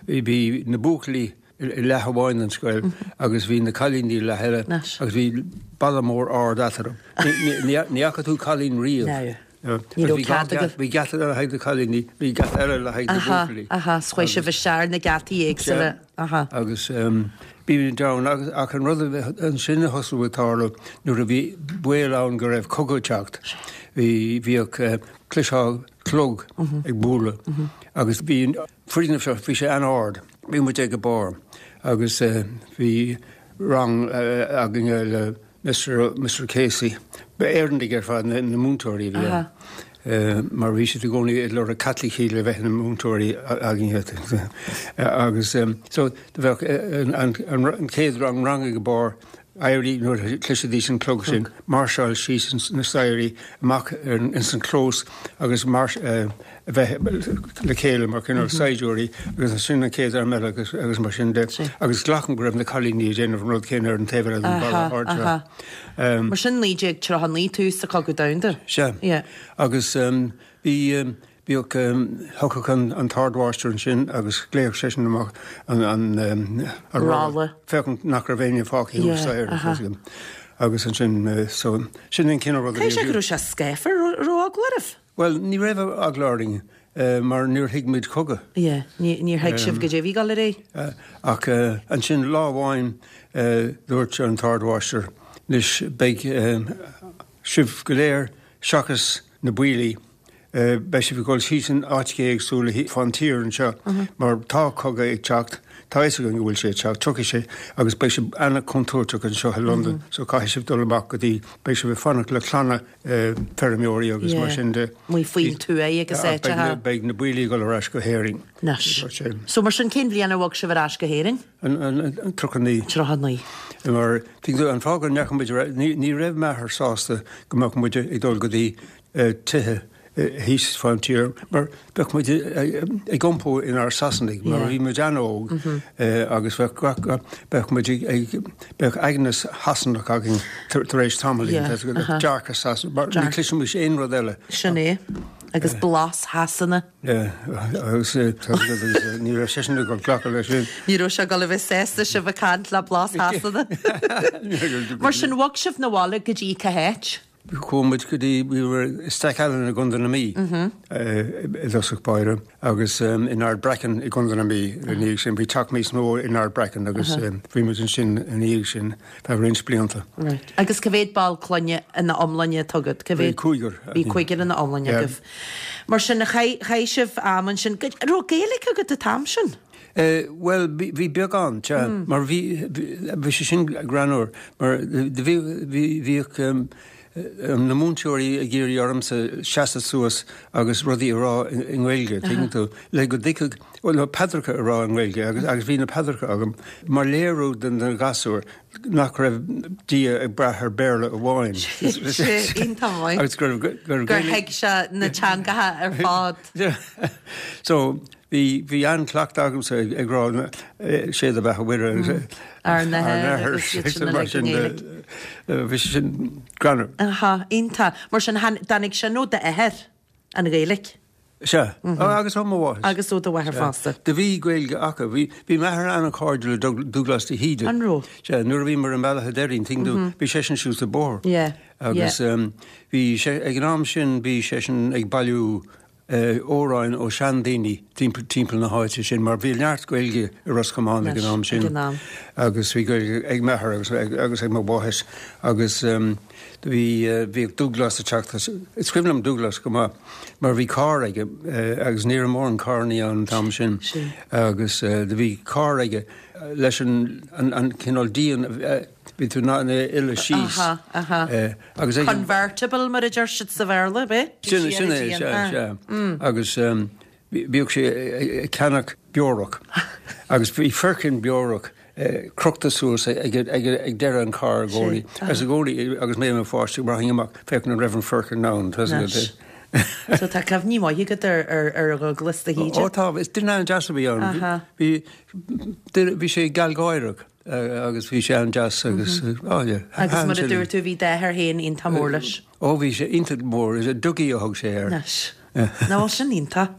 bhí na buachaillí, i leath amháin den scoil agus bhí na cailíní i leath eile agus bhí balla mór ard eatarthu. Ní fhaca tú cailín riamh. Ní raibh cead agaibh. Bhí geata le haghaidh na cailíní, bhí geata eile le haghaidh na buachaillí. Aha, so chuaigh sibh isteach ar na geataí éagsúla. Aha. Agus bhí muid ann agus ach an rud ansin a thosaigh ag tarlú nuair a bhí baol ann go raibh cogadh ag teacht, bhí, bhíodh, chloisfeá clog ag bualadh agus bhí an foirgneamh seo, bhí sé an-ard. Bhí muid ag an barr agus bhí rang againne le Mister Casey. Ba Éireannaigh ar fad na múinteoirí a bhí ann mar bhí siad i gcónaí ag lorg Caitlicigh le bheith ina múinteoirí againne. Agus so do bheadh an chéad rang rang ag an barr éirí nuair a chloisfidís an clog sin, máirseáil síos na staighrí amach ins an chlós agus a bheith le chéile mar cineál saighdiúirí agus ansin an chéad arm eile agus agus mar sin de. Agus glacaim go raibh na cailíní ag déanamh an rud céanna ar an taobh eile den bhalla ard seo. Mar sin 1939 tús an Chogadh Domhanda. Sea. Agus bhí Bhíodh, thiocfadh an t-ardmháistir ansin agus ghlaofadh seisean amach an rolla, féachaint nach raibh éinne fágtha thuas staighre. Agus ansin, so, sin an cineál rud a bhí. Caithfidh sé go raibh sé scáfar, raibh eagla oraibh? Bhuel, ní raibh eagla orainn mar níor thuig muid cogadh. Yeah, níor thuig sibh goidé a bhí ag dul ar aghaidh. Ach ansin lá amháin dúirt an t-ardmháistir, anois beidh sibh go léir seachas na buillí, Beidh sibh ag dul síos in áiteacha éagsúla fán tír anseo mar tá cogadh ag teacht, tá fhios againn go bhfuil sé ag teacht, tiocfaidh sé agus beidh sé an-chontúirteach anseo i Londain so caithfidh sibh dul amach go dtí, beidh sibh ag fanacht le clanna feirmeoirí agus mar sin de. Amuigh faoin tuaith agus áiteacha. Beidh na buillí ag dul ar ais go hÉirinn. Anois. So mar sin cén bhliain ar bhog sibh ar ais go hÉirinn? An 39. 39. Mar, tuigeann tú, an fáth go ndeachaigh muid ar ais, ní raibh m'athair sásta go mbeadh muid ag dul go dtí tithe thíos fán tír mar bheadh muid ag iompú inár Sasanaigh mar bhí muid an-óg agus bheadh gach, bheadh muid ag, bheadh aighneas Shasanach againn tar éis tamaillín, dearcadh Sasanach, mar ní chloisfimis aon rud eile. Sin é. Agus blas Shasana. Agus ní raibh seisean ag dul glacadh leis sin. Ní raibh sé ag dul a bheith sásta sibh ag caint le blas Shasana. Mar sin, bhog sibh 'na bhaile go dtí cá háit? Chuaigh muid go dtí, we were i Stackallen i gContae na Mí i dtosach báire agus in Ardbraccan i gContae na Mí ina dhiaidh sin. Bhí teach níos mó in Ardbraccan agus bhí muid ansin ina dhiaidh sin feadh roinnt blianta. Right. Agus cá mhéad ball clainne ina iomláine atá agat? Cá mhéad? Bhí cúigear. Bhí cúigear ina iomláine agaibh. Mar sin, chaith, chaith sibh am ansin. An raibh Gaeilge agat an t-am sin? Bhuel, bhí beagán, sea, mar bhí, bhí sé sin greannmhar, mar bhí, bhíodh na múinteoirí ag iarraidh ormsa seasamh suas agus rudaí a rá i nGaeilge, tuigeann tú, le go dtuigfeadh, bhuel, paidreacha a rá i nGaeilge agus, agus bhí na paidreacha agam mar léiriú do na gasúir nach raibh Dia ag brath ar Béarla amháin. Sea, iontach maith. Agus go raibh, go raibh Gur thuig sé na teangacha ar fad. So, Bhí, bhí an-chleachtadh agamsa ag rá sé do bheatha Mhuire agus Ár nAthair agus iad sin uilig i nGaeilge. Bhí sé sin greannmhar. Aha, iontach. Mar sin, tháinig sin ó d'athair, an Ghaeilge? Sea, agus ó mo mháthair. Agus ó do mháthair fosta. Do bhí Gaeilge acu. Bhí, bhí m'athair an-chairdiúil le Dúghlás de hÍde. An raibh? Sea, nuair a bhíomar i mBealach a' Doirín, tuigeann tú, bhí seisean suas an bóthar. Yeah, yeah. Agus bhí sé, ag an am sin, bhí seisean ag bailiú amhráin ó seandaoine timpeall na háite sin mar bhí neart Gaeilge i Ros Comáin ag an am sin agus bhí Gaeilge ag m'athair agus agus ag mo mháthair agus bhí bhíodh Dúghlás ag teacht is cuimhin liom Dúghlás go maith mar bhí carr aige agus ní raibh mórán carrannaí ann an t-am sin agus do bhí carr aige leis an an cineál díon Bhí tú in ann é a fhilleadh síos. Aha, aha. Agus ag. Convertible mar a deir siad sa Bhéarla, ab é? Sin, sin é, sea, sea. Agus bhíodh sé ag ceannach beorach agus bhí foirceann beorach crochta suas ag deireadh an chairr i gcónaí. Agus i gcónaí agus mé i mo pháiste, rachainn amach féachaint an raibh an foirceann ann. So tá cuimhní maithe agat ar ar ar Dhubhghlas de hÍde. Ó tá, is duine an-deas a bhí ann. Aha. Bhí bhí sé gealgháireach agus bhí sé an-deas agus oh yeah. Agus mar a dúirt tú bhí d'athair féin iontach mór leis. Ó bhí sé iontach mór, is é Dougie a thug sé air. Anois. Nó bhuel sin iontach.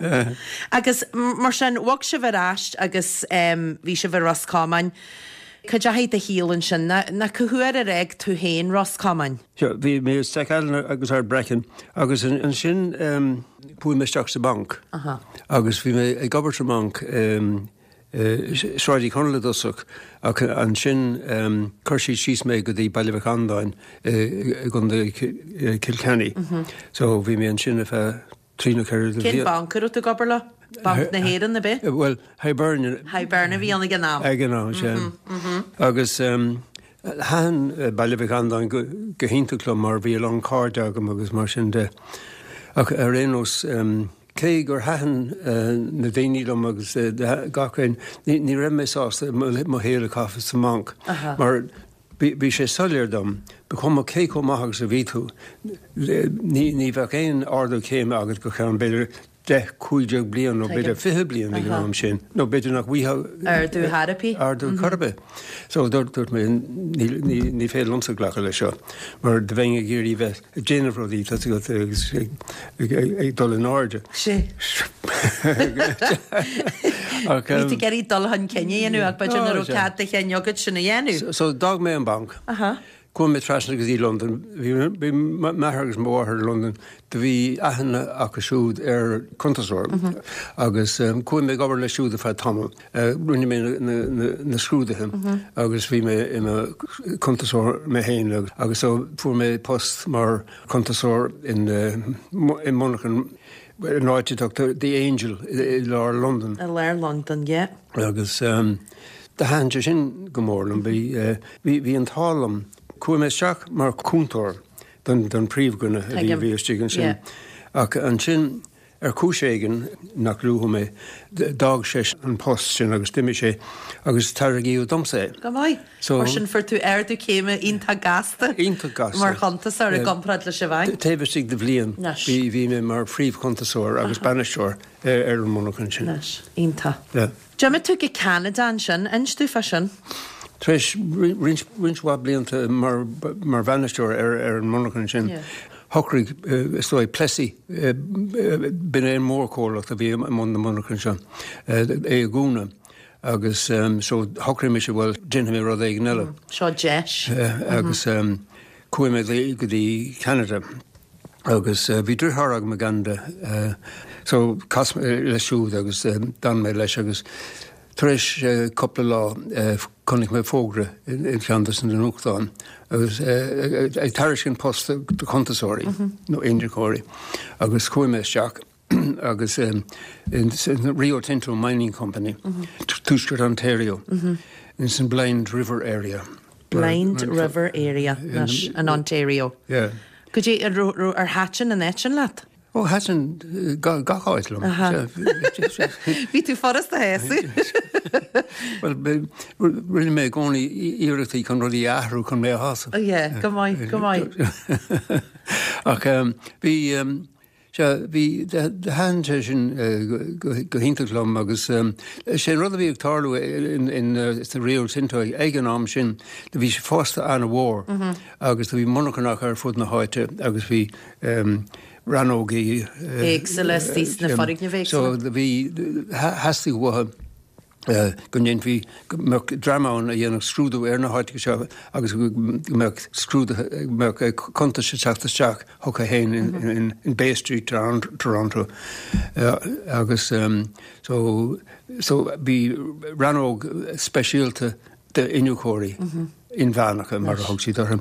Agus mar sin, bhog sibh ar ais agus bhí sibh i Ros Comáin. Cá ndeachaigh do shaol ansin? Nó cá huair ar fhág tú féin Ros Comáin? Sure, bhí mé i Stackallen agus Ardbraccan agus ansin chuaigh mé isteach sa mbanc agus bhí mé ag obair sa mbanc Sráid Uí Chonaill i dtosach ach ansin chuir siad síos mé go dtí Baile Mhic Andáin i gContae Chill Chainnigh. So bhí mé ansin ar feadh trí nó ceithre Cén banc a raibh tú ag obair leo? Banc na hÉireann, ab é? Bhuel, Hibernian. Hibernian a bhí ann ag an am. Ag an am, sea. Agus thaitin Baile Mhic Andáin go hiontach liom mar bhí a lán cairde agam agus mar sin de. Ach ar aon nós, Cé gur thaitin na daoine liom agus gach aon, ní raibh mé sásta mo shaol a chaitheamh sa mbanc mar bhí sé soiléir dom, ba chuma cé chomh maith agus a bhí tú, ní bheadh aon ardú céime agat go ceann b'fhéidir 10, 15 bliain nó b'fhéidir 20 bliain ag an am sin, nó b'fhéidir nach bhfaighfeá ardú chor ar bith. Ardú chor ar bith. So dúirt mé, ní féidir liomsa glacadh leis seo mar do bheinn ag iarraidh bheith ag déanamh rudaí, tá a fhios agat, agus ag dul in airde. Sea. Bhí tú ag iarraidh dul chun cinn a dhéanamh ach b'fhéidir nach raibh cead do chinn agat sin a dhéanamh. So d'fhág mé an banc. Chuaigh mé trasna go dtí Londain. Bhí m'athair agus mo mháthair i Londain. Do bhí aithne acu siúd ar chuntasóir agus chuaigh mé ag obair leis siúd ar feadh tamaill. Rinne mé na scrúduithe agus bhí mé i mo chuntasóir mé féin agus so fuair mé post mar chuntasóir in i monarchan in áit a dtugtar The Angel i lár Londain. I lár Londain, yeah. Agus do thaitin sé sin go mór liom. Bhí bhí an t-ádh liom. Chuaigh mé isteach mar chúntóir don don príomhdhuine a bhí istigh ansin. Ach ansin Ar chúis éigin nach luafaidh mé, d'fhág sé an post sin agus d'imigh sé agus tairgíodh domsa é. Go maith. So, Mar sin fuair tú ardú céime iontach gasta. Iontach gasta. Mar chuntasóir i gcomparáid leis an bhanc. Taobh istigh de bhliain bhí bhí mé mar phríomhchuntasóir agus bainisteoir ar an monarcha sin. Anois. Iontach. Yeah. D'imigh tú go Ceanada ansin, inis domh fá sin. Tar éis roinnt mhaith blianta mar bhainisteoir ar an monarcha sin, shocraigh, is dóigh, Plessey, b'in é an mórchomhlacht a bhí i mbun na monarchan seo, é a dhúnadh agus so shocraigh mise, bhuel, déanfaidh mé rud éigin eile. Seo deis. Agus chuaigh mé go dtí Ceanada. Agus bhí driotháir agam i gCeanada so chas mé leis siúd agus d'fhan mé leis agus tar éis cúpla lá chonaic mé fógra i gceann de na nuachtáin agus ag tairiscint post do chuntasóirí nó iniúchóirí agus chuaigh mé isteach agus in Rio Tinto Mining Company, Tuaisceart Ontario, ins an Blind River area. Blind River area anois in Ontario. Yeah. Goidé, ar thaitin an áit sin leat? Ó, thaitin gach áit liom. Bhí tú furasta a shásamh. Bhuel, rinne mé i gcónaí iarrachtaí chun rudaí a athrú chun mé a shásamh. Yeah, go maith, go maith. Ach bhí, Sea, bhí, thaitin sé sin go hiontach liom agus sé an rud a bhí ag tarlú in sa Rio Tinto ag an am sin, do bhí sé fásta an-mhór agus do bhí monarchanacha ar fud na háite agus bhí rannógaí éagsúla istigh sna foirgnimh éagsúla. So do bhí, theastaigh uathu go ndéanfaí, go mbeadh dream ann a dhéanfadh scrúdú ar na háiteacha seo agus go mbeadh scrúduithe, go mbeadh cuntais ag teacht isteach chucu féin in Bay Street, Toronto. Agus so, so bhí rannóg speisialta d'iniúchóirí inmheánacha, mar a thug siad orthu,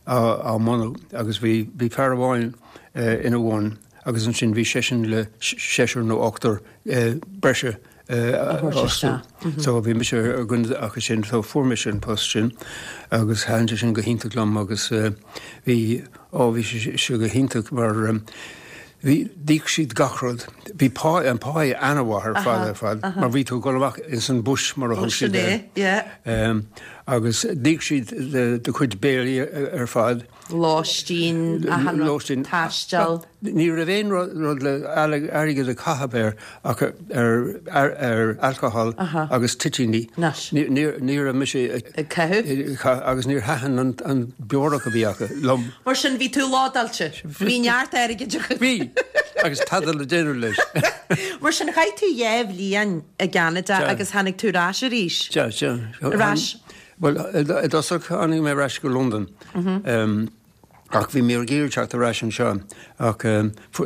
á mbunú agus bhí, bhí fear amháin ina bhun agus ansin bhí seisean le seisear nó ochtar breise a fhostú. So bhí mise ar dhuine acu sin, so fuair mise an post sin agus thaitin sé sin go hiontach liom agus bhí, ó bhí sé go hiontach mar bhí, d'íoc siad gach rud. Bhí pá, an pá an-mhaith ar fad ar fad mar bhí tú ag dul amach ins an bush mar a thug siad air. Agus d'íoc siad do chuid béilí ar fad. Lóistín, achan rud, Lóistín. taisteal. Ní raibh aon rud le airgead a chaitheamh air ach ar alcohol agus toitíní. Ní raibh mise ag caitheamh. Agus níor thaitin an beorach a bhí acu liom. Mar sin bhí tú lódáilte. Bhí neart airgid agat. Bhí! Agus tada le déanamh leis. Mar sin chaith tú dhéá bhliain i gCeanada agus tháinig tú ar ais arís. Sea, sea. Ar ais. Bhuel, i dtosach tháinig mé ar ais go Londain. Ach bhí mé ag iarraidh teacht ar ais anseo ach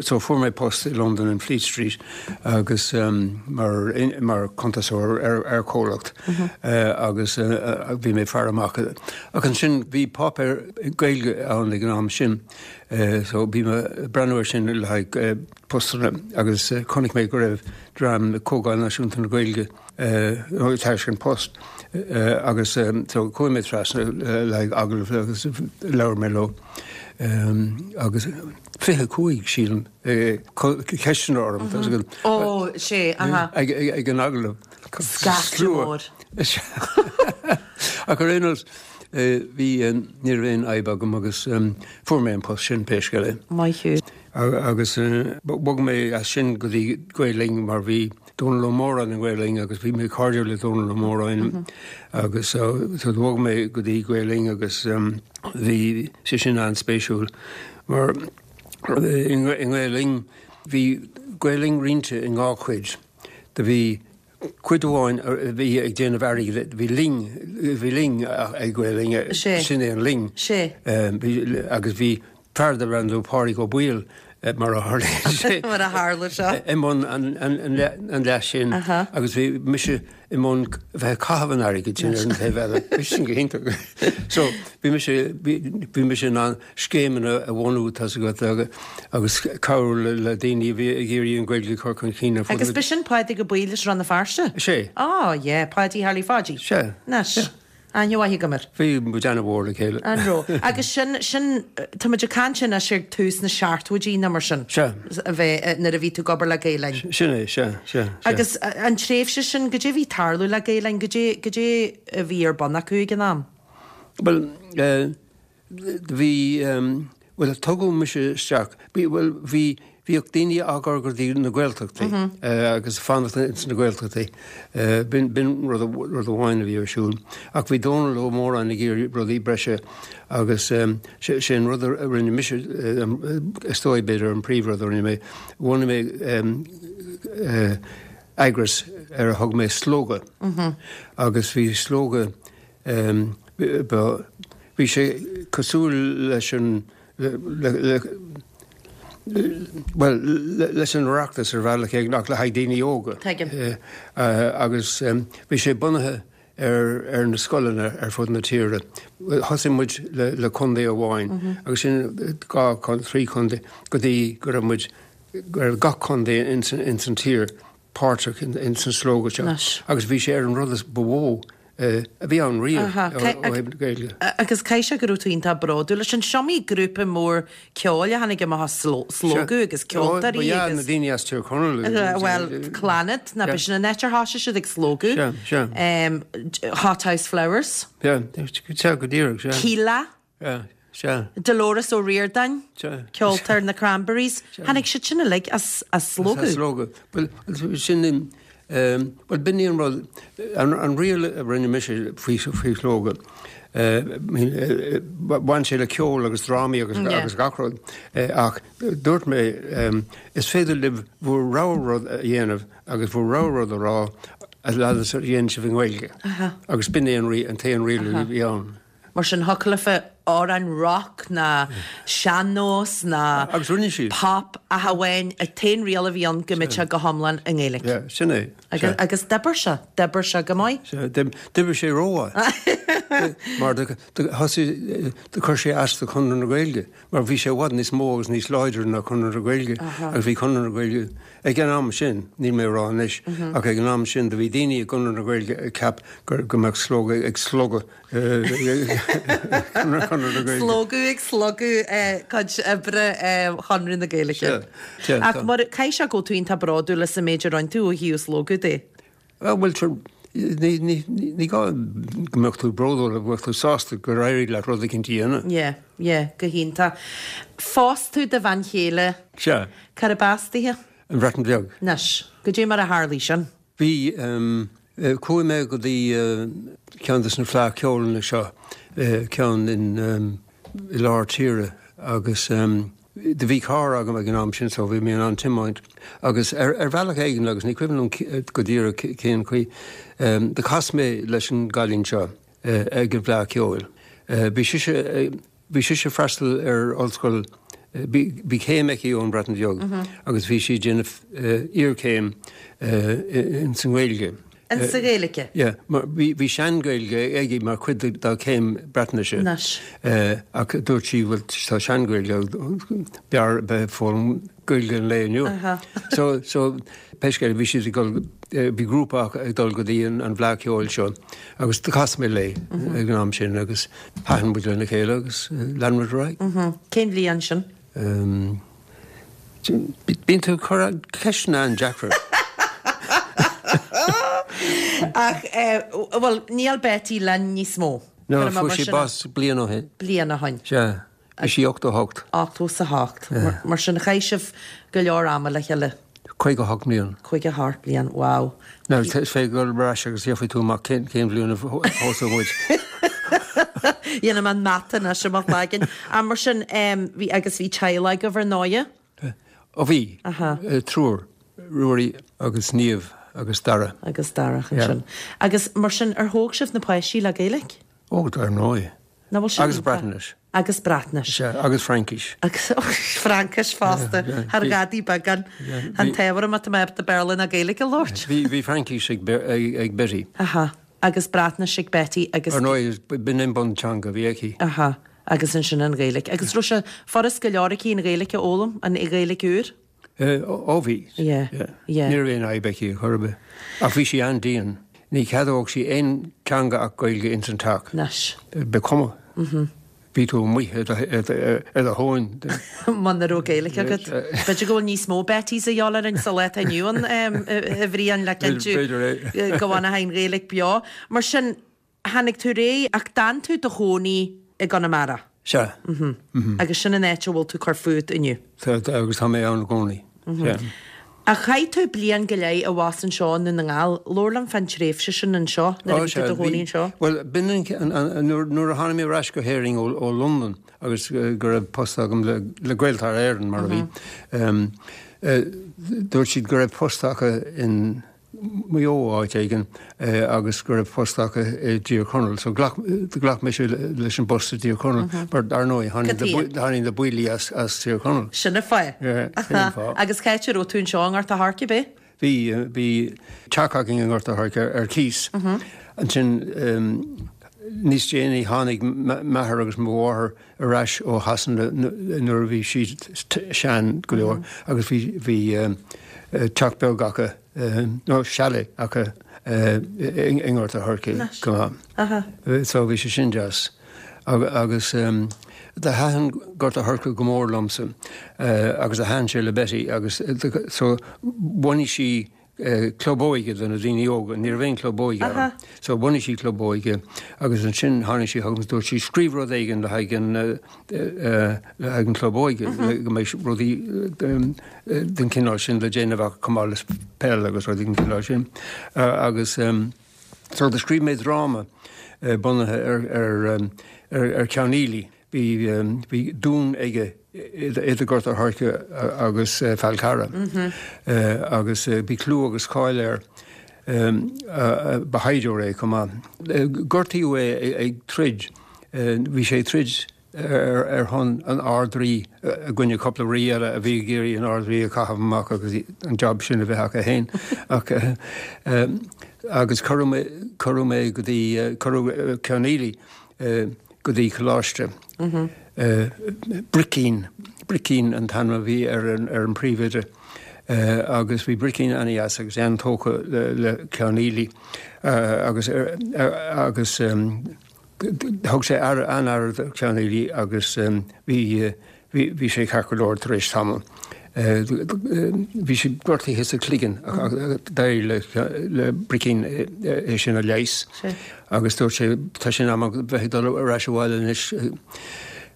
so fuair mé post i Londain in Fleet Street agus mar mar cuntasóir ar ar chomhlacht agus bhí mé ag faire amach. Ach ansin bhí páipéar Gaeilge ann ag an am sin so bhí mé ag breathnú air sin le haghaidh postanna agus chonaic mé go raibh dream Comhdháil Náisiúnta na Gaeilge ag tairiscint post agus so chuaigh mé trasna le haghaidh agallamh agus labhair mé leo agus 25 sílim ceisteanna orm Ó sé aha. ag an agallamh. Scaifte mór. Ach ar aon nós bhí ní raibh aon fhadhb agam agus fuair mé an post sin pé scéal é. Maith thú. Agus bhog mé as sin go dtí Gael Linn mar bhí Dónal Ó Móráin i nGael Linn agus bhí mé cairdiúil le Dónal Ó Móráin agus so bhog mé go dtí Gael Linn agus bhí sé sin an-spéisiúil mar i nGael Linn bhí Gael Linn roinnte i ndhá chuid. Do bhí cuid amháin a bhí ag déanamh airgid, bhí linn, bhí linn ag Gael Linn, sin é an linn. Agus bhí Fear darbh ainm dó Pádraig Ó Baoill, mar a tharlaíonn sé. Mar a tharla sé. I mbun an leath sin agus bhí mise i mbun bheith ag caitheamh an airgid sin ar an taobh eile. Bhí sin go hiontach. So bhí mise, bhí mise in ann scéimeanna a bhunú, tá's agat, agus cabhrú le daoine a bhí ag iarraidh an Ghaeilge a chur chun cinn ar fud na. Agus b'shin Pádraig Ó Baoill as Rann na Feirste? Sé. Á, yeah, Páidí Harley Pháidí. Sé. Anois. Aithne mhaith agam air. Bhí muid ana-mhór le chéile. An raibh? Agus sin, sin, tá muid ag caint anois ar tús na seachtóidí nó mar sin. Sea. A bheith, nuair a bhí tú ag obair le Gael Linn. Sin é, sea, sea, sea. Agus an tréimhse sin, goidé a bhí ag tarlú le Gael Linn, goidé, goidé a bhí ar bun acu ag an am? Bhuel, eh, Bhí, bhuel, tugadh mise isteach, bhí, bhuel, bhí, bhíodh daoine á gcur go dtí na Gaeltachtaí agus fanacht ins na Gaeltachtaí. B'in, b'in rud, rud amháin a bhí ar siúl. Ach bhí Dónal Ó Móráin ag iarraidh rudaí breise agus sé, sé an rud a rinne mise, is dóigh b'fhéidir an príomhrud a rinne mé, bhunaigh mé eagras ar a thug mé Slógadh agus bhí Slógadh, Bhí sé cosúil leis an, bhuel, leis an Oireachtas ar bhealach éigin ach le haghaidh daoine óga. Tuigim. Agus bhí sé bunaithe ar na scoileanna ar fud na tíre. Thosaigh muid le contae amháin agus sin dhá, thrí chontae go dtí go raibh muid, go raibh gach contae ins an tír páirteach ins an slógadh seo. Agus bhí sé ar an rud is ba mhó a bhí ann riamh ó thaobh na Gaeilge. Agus caithfidh sé go raibh tú iontach bródúil leis sin. Is iomaí grúpa mór ceoil a tháinig amach as Slógadh agus ceoltóirí agus. Ba ea, na daoine as Tír Chonaill. Bhuel, Clannad, ná b'shin an áit ar thosaigh siad ag Slógadh. Sea, sea. Hothouse Flowers. Sea, sea, go díreach, sea. Kíla. Sea, sea. Dolores O'Riordan, Sea. ceoltóir na Cranberries. Tháinig siad sin uilig as Slógadh. As Slógadh. Bhuel, sin, bhuel, b'in í an rud, an riail a rinne mise faoi Shlógadh, bhain sé le ceol agus drámaí agus agus gach rud, ach dúirt mé, is féidir libh bhur rogha rud a dhéanamh agus bhur rogha rud a rá a fhad is a dhéanann sibh i nGaeilge. Agus b'in é an t-aon riail a bhí ann. Mar sin, thiocfadh leofa amhrán rock ná sean-nós ná Agus rinne siad. pop ach amháin an t-aon riail a bhí ann go mbeadh sé go hiomlán i nGaeilge. Yeah, sin é. Agus, agus d'oibir sé, d'oibir sé go maith. Sea, d'oibir sé rómhaith. Mar do, do thosaigh, do chuir sé as do Chonradh na Gaeilge, mar bhí sé i bhfad níos mó agus níos láidre ná Conradh na Gaeilge agus bhí Conradh na Gaeilge ag an am sin, níl mé ag rá anois, ach ag an am sin do bhí daoine i gConradh na Gaeilge ag ceap gur, go mbeadh Slógadh ag slogadh Slógadh ag slogadh cuid oibre Chonradh na Gaeilge. Ach mar caithfidh sé go bhfuil tú iontach bródúil as an méid a rinne tú ó thaobh Slógadh de. Bhuel, sure. Ní gá go mbeadh tú bródúil, go mbeadh tú sásta gur éirigh leat rud eicínt a dhéanamh. Yeah, yeah, go hiontach. Phós tú do bhean chéile. Sea. Cárb as dithe? An Bhreatain Bheag. Anois, goidé mar a tharlaigh sin? Bhí, chuaigh mé go dtí ceann de na Fleadh Ceoil seo, ceann in, i lár tíre agus do bhí carr agam ag an am sin so bhí mé in ann tiomáint agus ar ar bhealach éigin agus ní cuimhin liom go díreach cén chaoi, do chas mé leis an gcailín seo ag an bhFleadh Ceoil. Bhí sise, bhí sise ag freastal ar ollscoil, bhí bhí céim aici ón Bhreatain Bheag agus bhí sí ag déanamh iarchéim ins an nGaeilge. In sa Ghaeilge? Yeah, mar bhí, bhí sean-Ghaeilge aici mar chuid dá céim Breatnaise. Anois. Ach dúirt sí, bhuel, tá sean-Ghaeilge, b'fhearr a bheith ag foghlaim Gaeilge an lae inniu. Aha. So, so, pé scéal é, bhí siad ag dul, bhí grúpa acu ag dul go dtí an, an bhFleadh Cheoil seo agus do chas mé léi ag an am sin agus thaitin muid lena chéile agus lean muid ar aghaidh. Cén bhliain sin? Bíonn tú ag cur ceisteanna an-deacra. Ach, bhuel, níl Betty linn níos mó. No, fuair sí bás bliain ó shin. Bliain ó shin. Sea. Bhí sí 88. 88. Mar sin, chaith sibh go leor ama le chéile. 58 mbliain. 58 bliain, wow. Now, is féidir dul ar ais agus gheobhaidh tú amach cén bhliain a phósadh muid. Dhéanfaidh mé an mata anois i mo chloigeann. Ach mar sin, bhí, agus bhí teaghlach agaibh ar ndóighe? Ó bhí. Triúr, Ruairí agus Niamh agus Dara. Agus Dara ansin. Agus mar sin, ar thóg sibh na páistí le Gaeilge? Ó, dar ndóigh. Nach bhfuil sin Agus Breatnais. Agus Breatnais. Sea, agus Fraincis. Agus Fraincis fosta, thar ghadaí beagán. An t-ábhar má tá mé ábalta Béarla ná Gaeilge a labhairt. Bhí Fraincis ag Betty. Aha. Agus Breatnais ag Betty agus. Ar ndóigh, b'in an bunteanga a bhí aici. Aha. Agus ansin an Ghaeilge. Agus raibh sé furast go leor aici an Ghaeilge a fhoghlaim, an Ghaeilge úr? Ó bhí. Yeah. Yeah. Ní raibh aon fhadhb aici ar chor ar bith. Ach bhí sí an-dian. Ní cheadódh sí aon teanga ach Gaeilge ins an teach. Anois. Ba chuma. Bhí tú amuigh ar do thóin. Muna raibh Gaeilge agat. B'fhéidir go bhfuil níos mó Bettys a dhíobháil orainn sa lá atá inniu ann, a Bhriain, le cinntiú B'fhéidir é. go bhfanfaidh an Ghaeilge beo. Mar sin, Tháinig tú ar aghaidh ach d'fhan tú i do chónaí i gConamara. Sea. Agus sin an áit a bhfuil tú ag cur fút inniu. Tá, agus tá mé ann i gcónaí. Sea. Ach chaith tú bliain go leith abhus anseo i nDún na nGall. Labhair liom fán tréimhse sin anseo, nuair a bhí tú i do chónaí anseo. Bhuel, b'in an, nuair a tháinig mé ar ais go hÉirinn ó Londain agus go raibh post agam le Gaeltarra Éireann, mar a bhí, dúirt siad go raibh post acu in, Maigh Eo áit éigin agus go raibh post acu i dTír Chonaill. So ghlac, ghlac mise leis an bpost i dTír Chonaill mar dar ndóigh tháinig na buillí as Tír Chonaill. Sin an fáth. Yeah, sin an fáth. Agus cá háit a raibh tú anseo i nGort a' Choirce, ab é? Bhí, bhí teach againn i nGort a' Choirce ar cíos. Ansin níos déanaí tháinig m'athair agus mo mháthair ar ais ó Shasana nuair a bhí siad sean go leor agus bhí bhí teach beag acu nó chalet acu i nGort a' Choirce go maith. So bhí sé sin deas. Agus do thaitin Gort a' Choirce go mór liomsa agus do thaitin sé le Betty agus so bhunaigh sí club óige do na daoine óga. Ní raibh aon club óige ann. So bhunaigh sí club óige agus ansin tháinig sí chugam agus dúirt sí scríobh rud éigin le haghaidh an le haghaidh an club óige go mbeidh rudaí den chineál sin le déanamh acu chomh maith le peil agus rudaí den chineál sin. Agus so do scríobh mé dráma bunaithe ar ar ar Ceann Fhaoilidh. Bhí, bhí dún aige idir Gort a' Choirce agus Fál Carrach agus bhí clú agus cáil air. Ba shaighdiúir é chomh maith. Gortaíodh é ag troid, bhí sé ag troid ar shon an Ard-Rí i gcoinne cúpla rí eile a bhí ag iarraidh an Ard-Rí a chaitheamh amach agus an job sin a bheith acu féin. Ach agus cuireadh, cuireadh mé go dtí, cuireadh Ceann Fhaoilidh go dtí Coláiste Bricín, Bricín an t-ainm a bhí ar an bpríomhoide agus bhí Bricín an-deas agus é an-tógtha le Ceann Fhaoilidh agus agus thug sé aire an-aire do Cheann Fhaoilidh agus bhí bhí sé ceart go leor tar éis tamaill. Bhí sé gortaithe sa chloigeann ach d'éirigh le Bricín é sin a leigheas agus dúirt sé tá sé in am bheith ag dul ar ais abhaile anois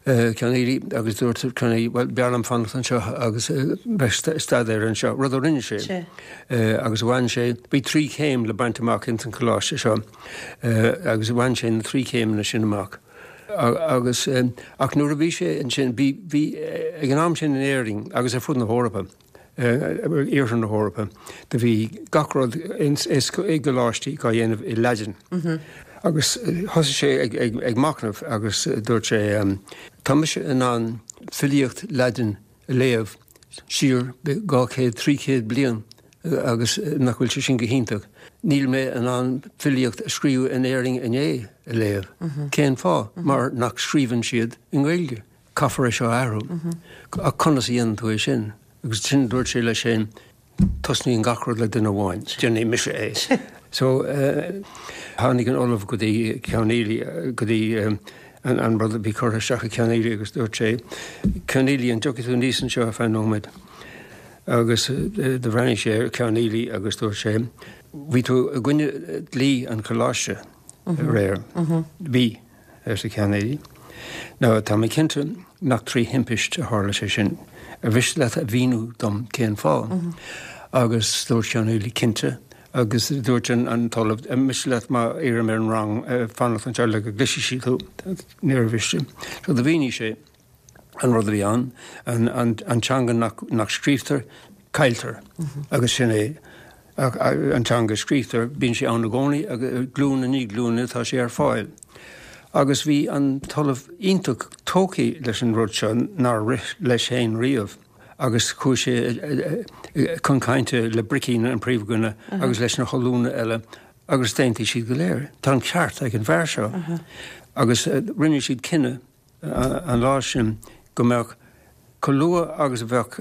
Ceann Fhaoilí agus dúirt Ceann Fhaoilí bhuel b'fhearr liom fanacht anseo agus bheith ag staidéar anseo, rud a rinne sé agus bhain sé, bhí trí chéim le baint amach ins an choláiste seo agus bhain sé na trí chéimeanna sin amach. Agus, ach nuair a bhí sé ansin, bhí, bhí, ag an am sin in Éirinn agus ar fud na hEorpa, iarthar na hEorpa, do bhí gach rud ins, i gcoláistí á dhéanamh i Laidin. Agus thosaigh sé ag, ag, ag machnamh agus dúirt sé, tá mise in ann filíocht Laidin a léamh siar 200, 300 bliain agus nach bhfuil sé sin go hiontach. Níl mé in ann filíocht a scríobhadh in Éirinn inné a léamh. Cén fáth? Mar nach scríobhann siad i nGaeilge. Caithfear é seo a athrú. Ach conas a dhéanann tú é sin? Agus sin dúirt sé leis féin, Tosnaíonn gach rud le duine amháin. Déanfaidh mise é. So, tháinig an Ollamh go dtí Ceann Fhaoilí, go dtí an rud a bhí curtha isteach ag Ceann Fhaoilí agus dúirt sé, Ceann Fhaoilí, an dtiocfaidh tú aníos anseo ar feadh nóiméad? Agus do bhreathnaigh sé ar Ceann Fhaoilí agus dúirt sé, Bhí tú i gcoinne dlí an choláiste aréir. Bhí. arsa Ceann Fhaoilí. Now, tá mé cinnte nach trí thimpist a tharla sé sin. Ar mhiste leat a mhíniú dom cén fáth? Agus dúirt Ceann Fhaoilí, Cinnte. Agus dúirt an tOllamh, Ar mhiste leat má iarraim ar an rang fanacht anseo le go gcloisfidh siad thú? Níor mhiste. So do mhínigh sé. an rud a bhí ann, an teanga nach scríobhtar, cailltear. Agus sin é. Ach an teanga a scríobhtar, bíonn sé ann i gcónaí agus glúin i ndiaidh glúine tá sé ar fáil. Agus bhí an tOllamh iontach tógtha leis an rud seo nár rith leis féin riamh agus chuaigh sé chun cainte le Bricín an príomhdhuine agus leis na hollúna eile agus d'aontaigh siad go léir. Tá an ceart ag an bhfear seo. Agus rinne siad cinneadh an lá sin go mbeadh, chomh luath agus a bheadh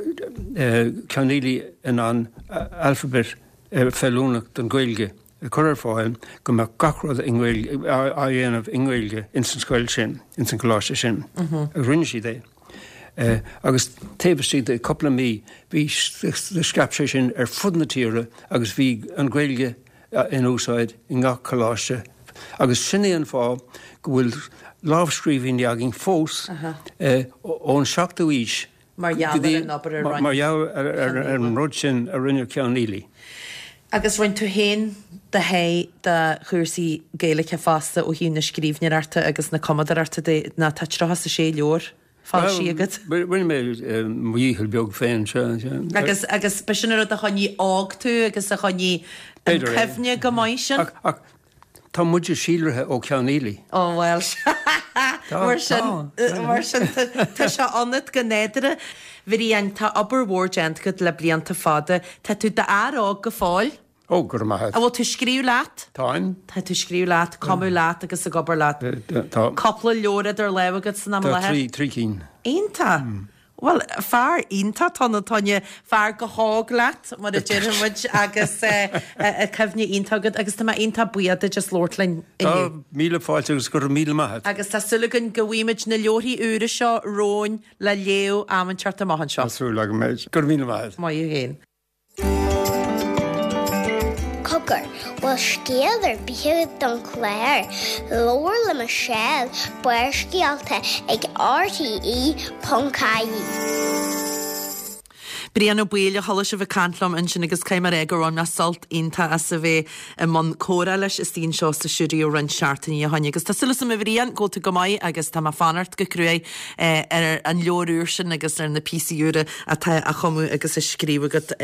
Ceann Fhaoilí in ann alphabet feiliúnach don Ghaeilge a chur ar fáil, go mbeadh gach rud i nGaeilge, á dhéanamh i nGaeilge ins an scoil sin, ins an choláiste sin. Agus rinne siad é. Agus taobh istigh de cúpla mí bhí, scaip sé sin ar fud na tíre agus bhí an Ghaeilge in úsáid i ngach coláiste agus sin é an fáth go bhfuil lámhscríbhinní againn fós ón seachtú aois Mar gheall ar an obair a rinne Mar gheall ar an rud sin a rinne Ceann Fhaoilí. Agus rinne tú féin do sháith de chúrsaí Gaeilge fosta ó thaobh na scríbhneoireachta agus na cumadóireachta de, nó tá 36 leabhar foilsithe agat. Rinne mé mo dhícheall beag féin, sea. Agus, agus b'shin an rud a choinnigh óg tú agus a choinnigh an cuimhne go maith sin. Ach, ach tá muide síolraithe ó Cheann Fhaoilí. Ó bhuel, mar sin, mar sin tá sé ionat go nádúrtha. Bhriain, tá obair mhór déanta agat le blianta fada. Tá tú d'fhear óg go fóill. Ó, go raibh maith agat. An bhfuil tú ag scríobh leat? Táim. Tá tú ag scríobh leat, cumadh leat agus ag obair leat. Tá. Cúpla leabhar idir lámha agat san am i láthair? Tá trí cinn. Iontach! Bhuel, fear iontach atá ann, a Toine. Fear go hóg leat, mar a déarfaidh muid, agus cuimhne iontach agat agus tá mé iontach buíoch duit as labhairt linn inniu. Tá, míle fáilte agus go raibh míle maith agat. Agus tá súil againn go bhfaighimid na leabharthaí úra seo romhainn le léamh am inteacht amach anseo. Tá súil agam é. Go raibh míle maith agat. Maith thú féin. Cogar, bhfuil scéal ar bith agat don chlár? Labhair le Michelle, Barrscéalta ag RTE.ie. Brian Ó Baoill a chuala sibh ag caint liom ansin agus caithfidh mé a rá gur bhain mé sult iontach as a bheith i mbun comhrá leis istigh anseo sa stiúideo roinnt seachtainí ó shin agus tá súil agam a Bhriain go bhfuil tú go maith agus tá mé ag fanacht go cruaidh ar an leabhar úr sin agus ar na píosaí úra atá á chumadh agus á scríobh agat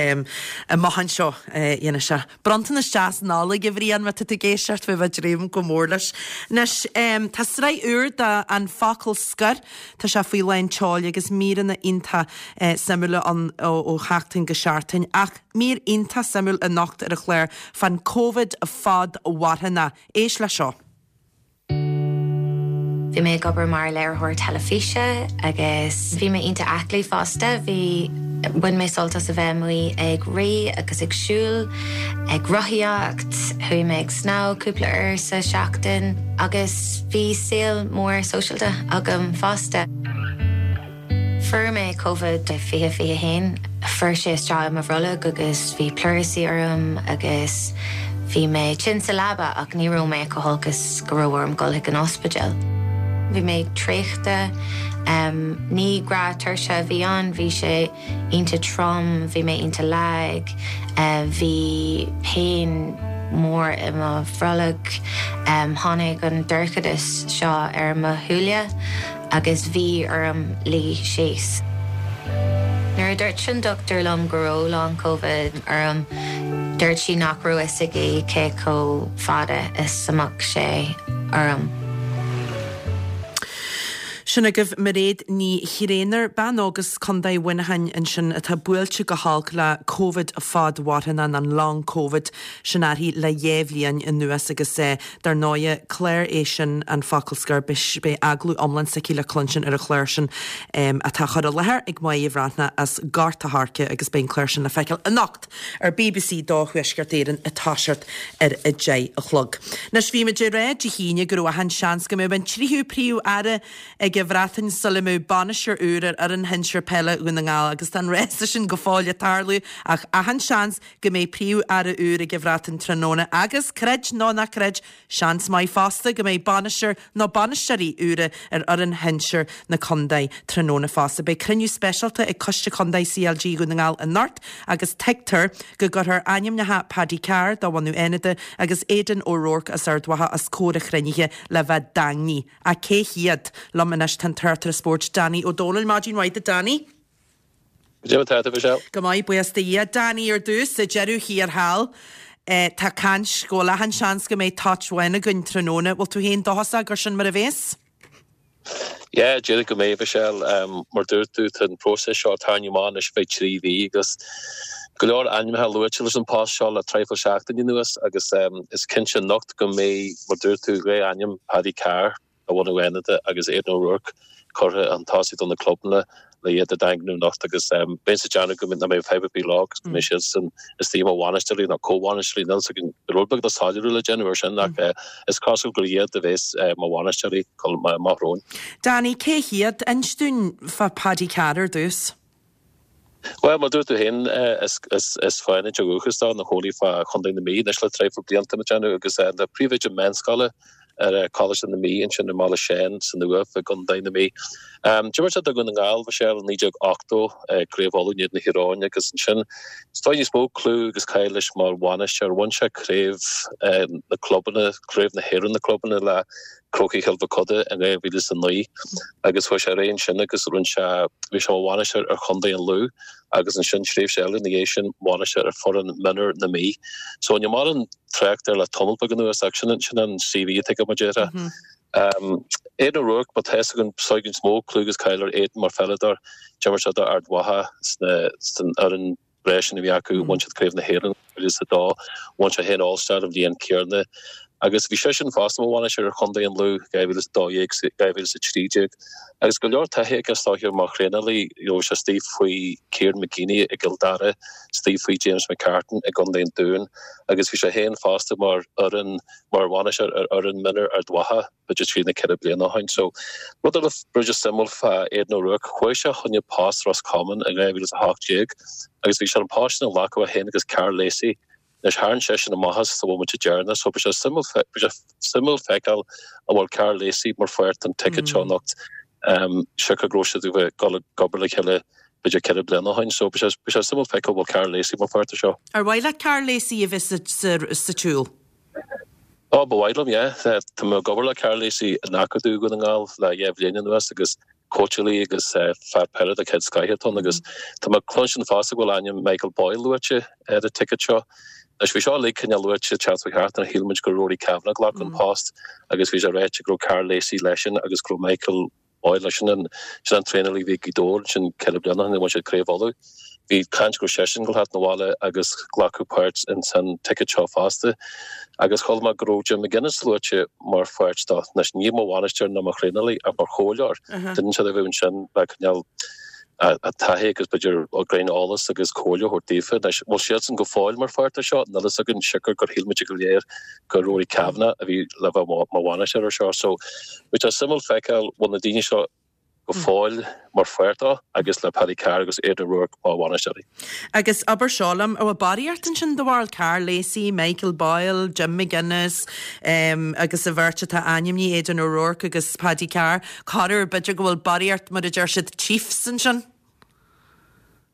amach anseo. Dhéanfaidh sé bronntanas deas Nollag, a Bhriain, má tá tú ag éisteacht, bheifeá ag dréim go mór leis. Anois, tá sraith úr de An Focal Scoir, tá sé faoi lán tseoil agus míreanna iontach suimiúla ann ó sheachtain go seachtain. Ach mír iontach suimiúil anocht ar an chlár fán Covid fadmharthanach. Éist le seo. Bhí mé ag obair mar léiritheoir teilifíse agus bhí mé iontach aclaí fosta. Bhí, bhain mé sult as a bheith amuigh ag rith agus ag siúl, ag rothaíocht, chuaigh mé ag snámh cúpla uair sa seachtain agus bhí saol mór sóisialta agam fosta. Fuair mé Covid 20 21. Fuair sé isteach i mo bhrollach agus bhí pleurisy orm agus bhí mé tinn sa leaba ach ní raibh mé chomh holc is go raibh orm dul chuig an ospidéal. Bhí mé traochta, ní gnáth-tuirse a bhí ann, bhí sé iontach trom, bhí mé iontach lag, bhí pain mór i mo bhrollach, tháinig an dorchadas seo ar mo shúile. agus bhí orm luí síos. Nuair a dúirt an dochtúir liom go raibh long covid orm, dúirt sí nach raibh fhios aici cé chomh fada is a mbeadh sé orm. Sin agaibh Mairéad Ní Thréinir, bean óg as Contae Mhuineacháin ansin atá buailte go holc le Covid fadmharthanach, an Long Covid, sin uirthi le dhá bhliain anuas agus Dar ndóighe, clár é sin, An Focal Scoir, beidh agallamh iomlán s'aici le cluinstin ar an chlár sin atá á chur i láthair ag Máire Bhreathnach as Gort a' Choirce agus beidh an clár sin le feiceáil anocht ar BBC 2 Thuaisceart Éireann ag toiseacht ar a 10 a chlog. Anois, bhí muid ag rá Dé hAoine go raibh achan seans go mbeadh an tríú Príomh-Aire ag an Bhreatain sula mbeadh bainisteoir úr ar fhoireann shinsir peile Dhún na nGall agus tá an rása sin go fóill ag tarlú ach achan seans go mbeidh Príomh-Aire úr ag an Bhreatain tráthnóna agus, creid nó ná creid, seans maith fosta go mbeidh bainisteoir nó bainisteoirí úra ar fhoireann shinsir na contae tráthnóna fosta. Beidh cruinniú speisialta ag Coiste Contae CLG Dhún na nGall anocht agus tuigtear go gcuirfear ainmneacha Paddy Carr, de bhunadh Fhánada, agus Aidan O'Rourke as Ard Mhacha os comhair an chruinnithe le bheith daingnithe. Ach cé hiad? Liom anois tá an tráchtaire spóirt Danny Ó Dónaill. Maidin mhaith duit Danny. Goidé mar tá tú, Michelle? Go maith, buíochas do Dhia. Danny, ar dtús, sa deireadh thiar thall, tá caint go bhfuil achan seans go mbeidh toit bhán againn tráthnóna. Bhfuil tú féin dóchasach gur sin mar a bhéas? Yeah, déarfainn go mbeidh, Michelle. Mar dúirt tú, tá an próiseas seo ag tarraingt amach anois feadh 3 mhí agus go leor ainmneacha luaite leis an post seo le traidhfil seachtainí anuas agus is cinnte anocht go mbeidh, mar dúirt tú, dhá ainm, Paddy Carr, de bhunadh Fhánada agus Aidan O'Rourke curtha chun tosaigh do na clubanna le iad a dhaingniú anocht agus bheinnse ag déanamh go nach mbeidh fadhb ar bith leo agus go mbeidh siadsan istigh mar bhainisteoirí nó comhbhainisteoirí. Níl a fhios againn, rud beag de soiléiriú le déanamh ar sin ach is cosúil gur iad a bheas mar bhainisteoirí amach romhainn. Danny, cé hiad? Inis dúinn fá Paddy Carr ar dtús. Bhuel, mar dúirt tú féin, is Fánaid ó dhúchas dó, ina chónaí fá Chontae na Mí anois le traidhfil blianta, ag déanamh, agus é ina phríomhoide meánscoile ar Choláiste na Mí ansin i mBaile Sheáin san Uaimh i gContae na Mí. D'imir sé do Dhún na nGall, Michelle, i 1980, Craobh Uladh in éadan Thír Eoghain agus ansin is dóigh níos mó clú agus cáil leis mar bhainisteoir. Bhain sé craobh na clubanna, Craobh na hÉireann na clubanna le Crócaigh Chill Mochuda in 2009 agus chuaigh sé ar aghaidh ansin agus rinne sé, bhí sé mar bhainisteoir ar chontae an Lú agus ansin tréimhse eile ina dhiaidh sin bhainisteoir ar foireann mionúir na Mí. So níl mórán trácht air le tamall beag anuas ach sin sin an CV atá aige mar déarfá. Aidan O'Rourke, má tá fhios againn, is dóigh níos mó clú agus cáil ar Aidan mar pheileadóir, d'imir sé do Ard Mhacha sna san fhoireann breá sin a bhí acu, bhain siad Craobh na hÉireann 2002, bhain sé féin All Star an bhliain céanna agus bhí seisean fosta mar bhainisteoir ar chontae an Lú 2012 2013 agus go leor taithí aige is dóiche mar thraenálaí, you know, bhí sé istigh faoi Kieran McGeeney i gCill Dara, istigh faoi James McCartan i gContae an Dúin agus bhí sé féin fosta mar fhoireann mar bhainisteoir ar fhoireann mionúir Ard Mhacha. b'fhéidir trí nó ceithre bliana ó shin. So, rud eile b'fhéidir suimiúil fá Aidan O'Rourke, chuaigh sé chun post Ros Comáin in 2018 agus bhí sé ar an post sin a ghlacadh é féin agus Karl Lacey. Anois tharraing seisean amach as sa bhomaite deireanach so beidh sé suimiúil beidh sé suimiúil feiceáil an bhfuil Karl Lacey mar pháirt den ticket seo anocht siocair go raibh siad ag dul ag obair le chéile b'fhéidir ceithre bliana ó shin. So beidh sé beidh sé suimiúil feiceáil an bhfuil Karl Lacey mar pháirt de seo. Ar mhaith leat Karl Lacey a bheith sa sa sa tsiúl? Ó, ba mhaith liom, yeah. Tá mé ag obair le Karl Lacey in Acadamh Dhún na nGall le dheich bhliain anuas agus cóitseálaí agus fear peile de chéad scoith atá ann agus tá mé ag cluinstin fosta go bhfuil ainm Michael Boyle luaite ar an ticket seo. Anois bhí seo uilig cineál luaite teacht faoi sheachtain shíl muid gur Rory Kavanagh a ghlacfadh an post agus bhí sé ráite go raibh Karl Lacey leisean agus go raibh Michael Boyle, sin an sin an traenálaí a bhí ag Gaoth Dobhair ansin ceithre bliana ó shin, bhain siad Craobh Uladh. Bhí caint go raibh seisean ag gabháil a theacht 'na bhaile agus glacadh páirt ins an ticket seo fosta. Agus chuala mé go raibh Jim McGuinness luaite mar pháirt dó. Anois ní mar bhainisteoir ná mar thraenálaí ach mar chomhairleoir. Duine inteacht a bheadh ansin le cineál a taithí agus b'fhéidir greim eolas agus comhairle a thabhairt daofa. Anois, bhfuil siadsan go fóill mar pháirt de seo? Níl fhios againn, siocair gur shíl muid go léir gur Rory Kavanagh a bhí le bheith mar bhainisteoir ar seo. So, beidh sé suimiúil feiceáil bhfuil na daoine seo. Go fóill mar pháirt dó agus le Paddy Carr agus Aidan O'Rourke mar bhainisteoirí. Agus abair seo liom, an bhfuil barraíocht ansin do bharúil? Karl Lacey, Michael Boyle, Jim McGuinness agus an bheirt atá ainmnithe, Aidan O'Rourke agus Paddy Carr. Corruair b'fhéidir go bhfuil barraíocht, mar a deir siad, chiefs ansin.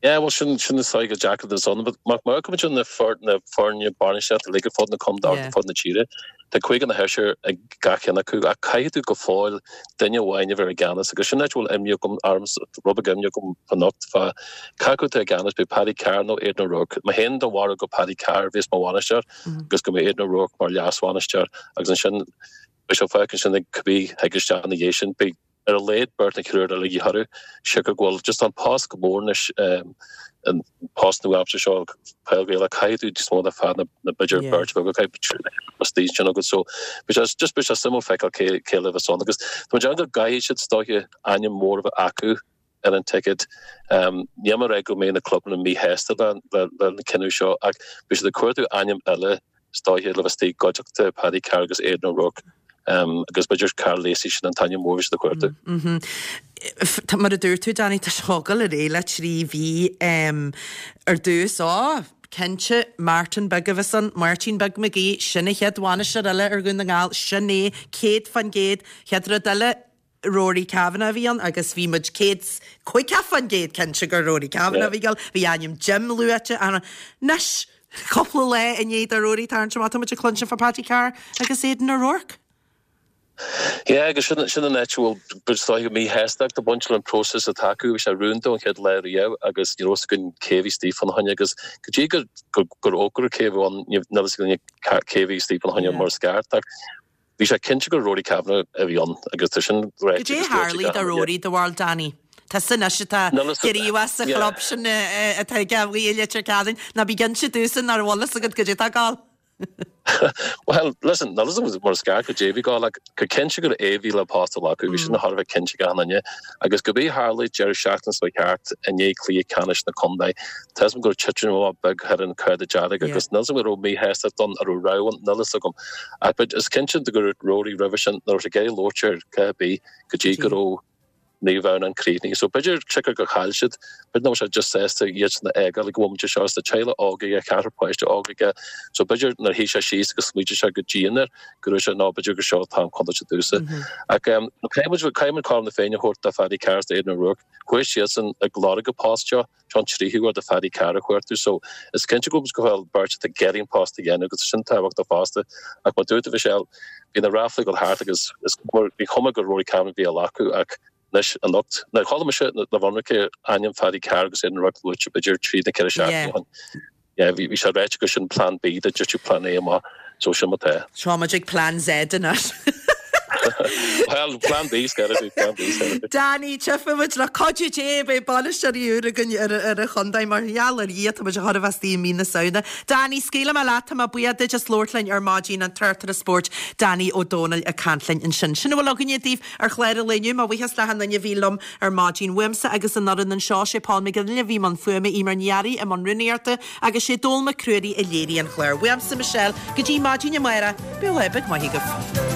Yeah, bhuel sin, sin is dóigh go deacair do son, but má amharcann muid ar na foirne bainistíochta uilig ar fud na contae, ar fud na tíre, tá cúigear nó seisear ag gach ceann acu ach caithfidh tú go fóill duine amháin a bheith i gceannas agus sin áit a bhfuil imní agam, ormsa, rud beag imní agam anocht fá cé acu atá i gceannas, beidh Paddy Carr nó Aidan O'Rourke. Mé féin den bharúil gur Paddy Carr a bheas mar bhainisteoir agus go mbeidh Aidan O'Rourke mar leas-bhainisteoir agus ansin beidh sé fágtha ansin ag cibé thig isteach ina dhiaidh sin, beidh ar a laghad beirt nó triúr eile de dhíth orthu. Siocair go bhfuil just an post go mór anois, an post nua-aimseartha seo, peil Ghaelach, caithfidh tú níos mó ná fear nó b'fhéidir beirt bheag, caithfidh triúr istigh ansin agat. So beidh sé just beidh sé suimiúil feiceáil cé cé le bheas ann agus tá mé ag déanamh go gcaithfidh siad is dóiche ainm mór a bheith acu ar an ticéad. Níl mé ag rá go mbeidh na clubanna míshásta le le le an cinneadh seo ach beidh siad ag cuartú ainm eile is dóiche le bheith istigh i gcuideachta Paddy Carr agus Aidan O'Rourke agus b'fhéidir Karl Lacey sin an t-ainm mór a bhí siad ag cuartú. Mar a dúirt tú Danny, tá sé ag dul ar aghaidh le 3 mhí ar dtús. Ó, cinnte, Martin Beag a bheas ann, Máirtín Beag Mac Aoidh, sin an chéad bhainisteoir eile ar Dhún na nGall, sin é, 100%. Chéad rud eile, Rory Kavanagh a bhí ann agus bhí muid 150% cinnte gur Rory Kavanagh a bhí ag dul. Bhí ainm Jim luaite anois, cúpla lá i ndiaidh do Rory tarraingt amach, tá muid ag cluinstin fá Paddy Carr agus Aidan O'Rourke. Yeah, agus sin sin an áit a bhfuil is dóiche míshástacht ag baint leis an próiseas atá acu. Bhí sé rúnda ón chéad lá riamh agus ní raibh fhios againn cé a bhí istigh fána choinne agus go dtí gur gur fhógraíodh cé a bhí ann níl fhios againn cé a bhí istigh fána choinne mar is ceart ach Bhí sé cinnte gur Rory Kavanagh a bhí ann agus tá sin ráite Cad é a tharlaigh do Rory, do bharúil Danny? Tusa anois atá gníomhach sa chlub sin atá aige amuigh i Leitir Ceanainn, ná bí ag inse domhsa nach bhfuil fhios agat goidé atá ag gabháil. Bhuel, listen, níl fhios agam mar is ceart goidé a bhí ag gabháil ach gur cinnte gur é a bhí le post a ghlacadh, bhí sin thar a bheith cinnte ag achan duine. Agus cibé a tharlaigh deireadh seachtaine seo thart i ndiaidh cluiche ceannais na contae, tá fhios agam go raibh titim amach beag thar an cárta dearg agus níl fhios agam an raibh míshástacht ann, an raibh rabhadh ann, níl fhios agam. Ach but is cinnte go raibh Rory roimhe sin, nach raibh sé ag iarraidh labhairt ar cé ar bith go dtí go raibh Naomh Adhamhnáin críochnaithe. So b'fhéidir siocair gur chaill siad, b'fhéidir nach raibh sé just sásta iadsan a fhágáil ag an bhomaite seo is tá teaghlach óg aige, ceathrar páiste óg aige. So b'fhéidir nuair a shuigh sé síos agus smaointigh sé go dian air go raibh sé nó b'fhéidir gur seo an t-am chun dul domhsa. Ach caithfidh muid caithfidh muid cothrom na Féinne a thabhairt do Phaddy Carr is d'Aidan O'Rourke. Chuaigh siadsan ag lorg an post seo. Seo an tríú huair do Phaddy Carr a chuartú so is cinnte go bhfuil beirt atá ag iarraidh an post a dhéanamh agus sin tábhachtach fosta. Ach mar dúirt tú Michelle, bhí na ráflaí ag dul thart agus is bhí cuma gur Rory Kavanagh a bhí á ghlacadh ach anois anocht, now chuala mise le bhfionraice ainm Phaddy Carr agus Aidan O'Rourke luaite b'fhéidir trí nó ceithre seachtaine ó shin. Yeah, bhí sé ráite gur sin Plan B dá dtitfeadh Plan A amach, so sin mar atá. Tá muid ag Plan Z anois. Well, Plan B, scairfidh, Plan B, scairfidh. Danny, tchífidh muid le cuidiú Dé beidh bainisteoirí úr againn ar ar an chontae mar gheall ar Dhia tá muid a chóir a bheith istigh i mí na Samhna. Danny, scaoilfidh mé leat, tá mé buíoch duit as labhairt linn ar maidin, an tráchtaire spóirt Danny Ó Dónaill ag caint linn ansin. Sin a bhfuil againne daoibh ar chlár an lae inniu. Mo bhuíochas le achan duine a bhí liom ar maidin. Uaimse agus an fhoireann anseo, sé Paul McGinley a bhí i mbun fuaime, Eimear Ní Fhearraigh i mbun rúnaíochta agus sé Dónal Mac Ruairí a léirigh an clár. Uaimse, Michelle, go dtí maidin amárach, bíodh lá beag maith agaibh.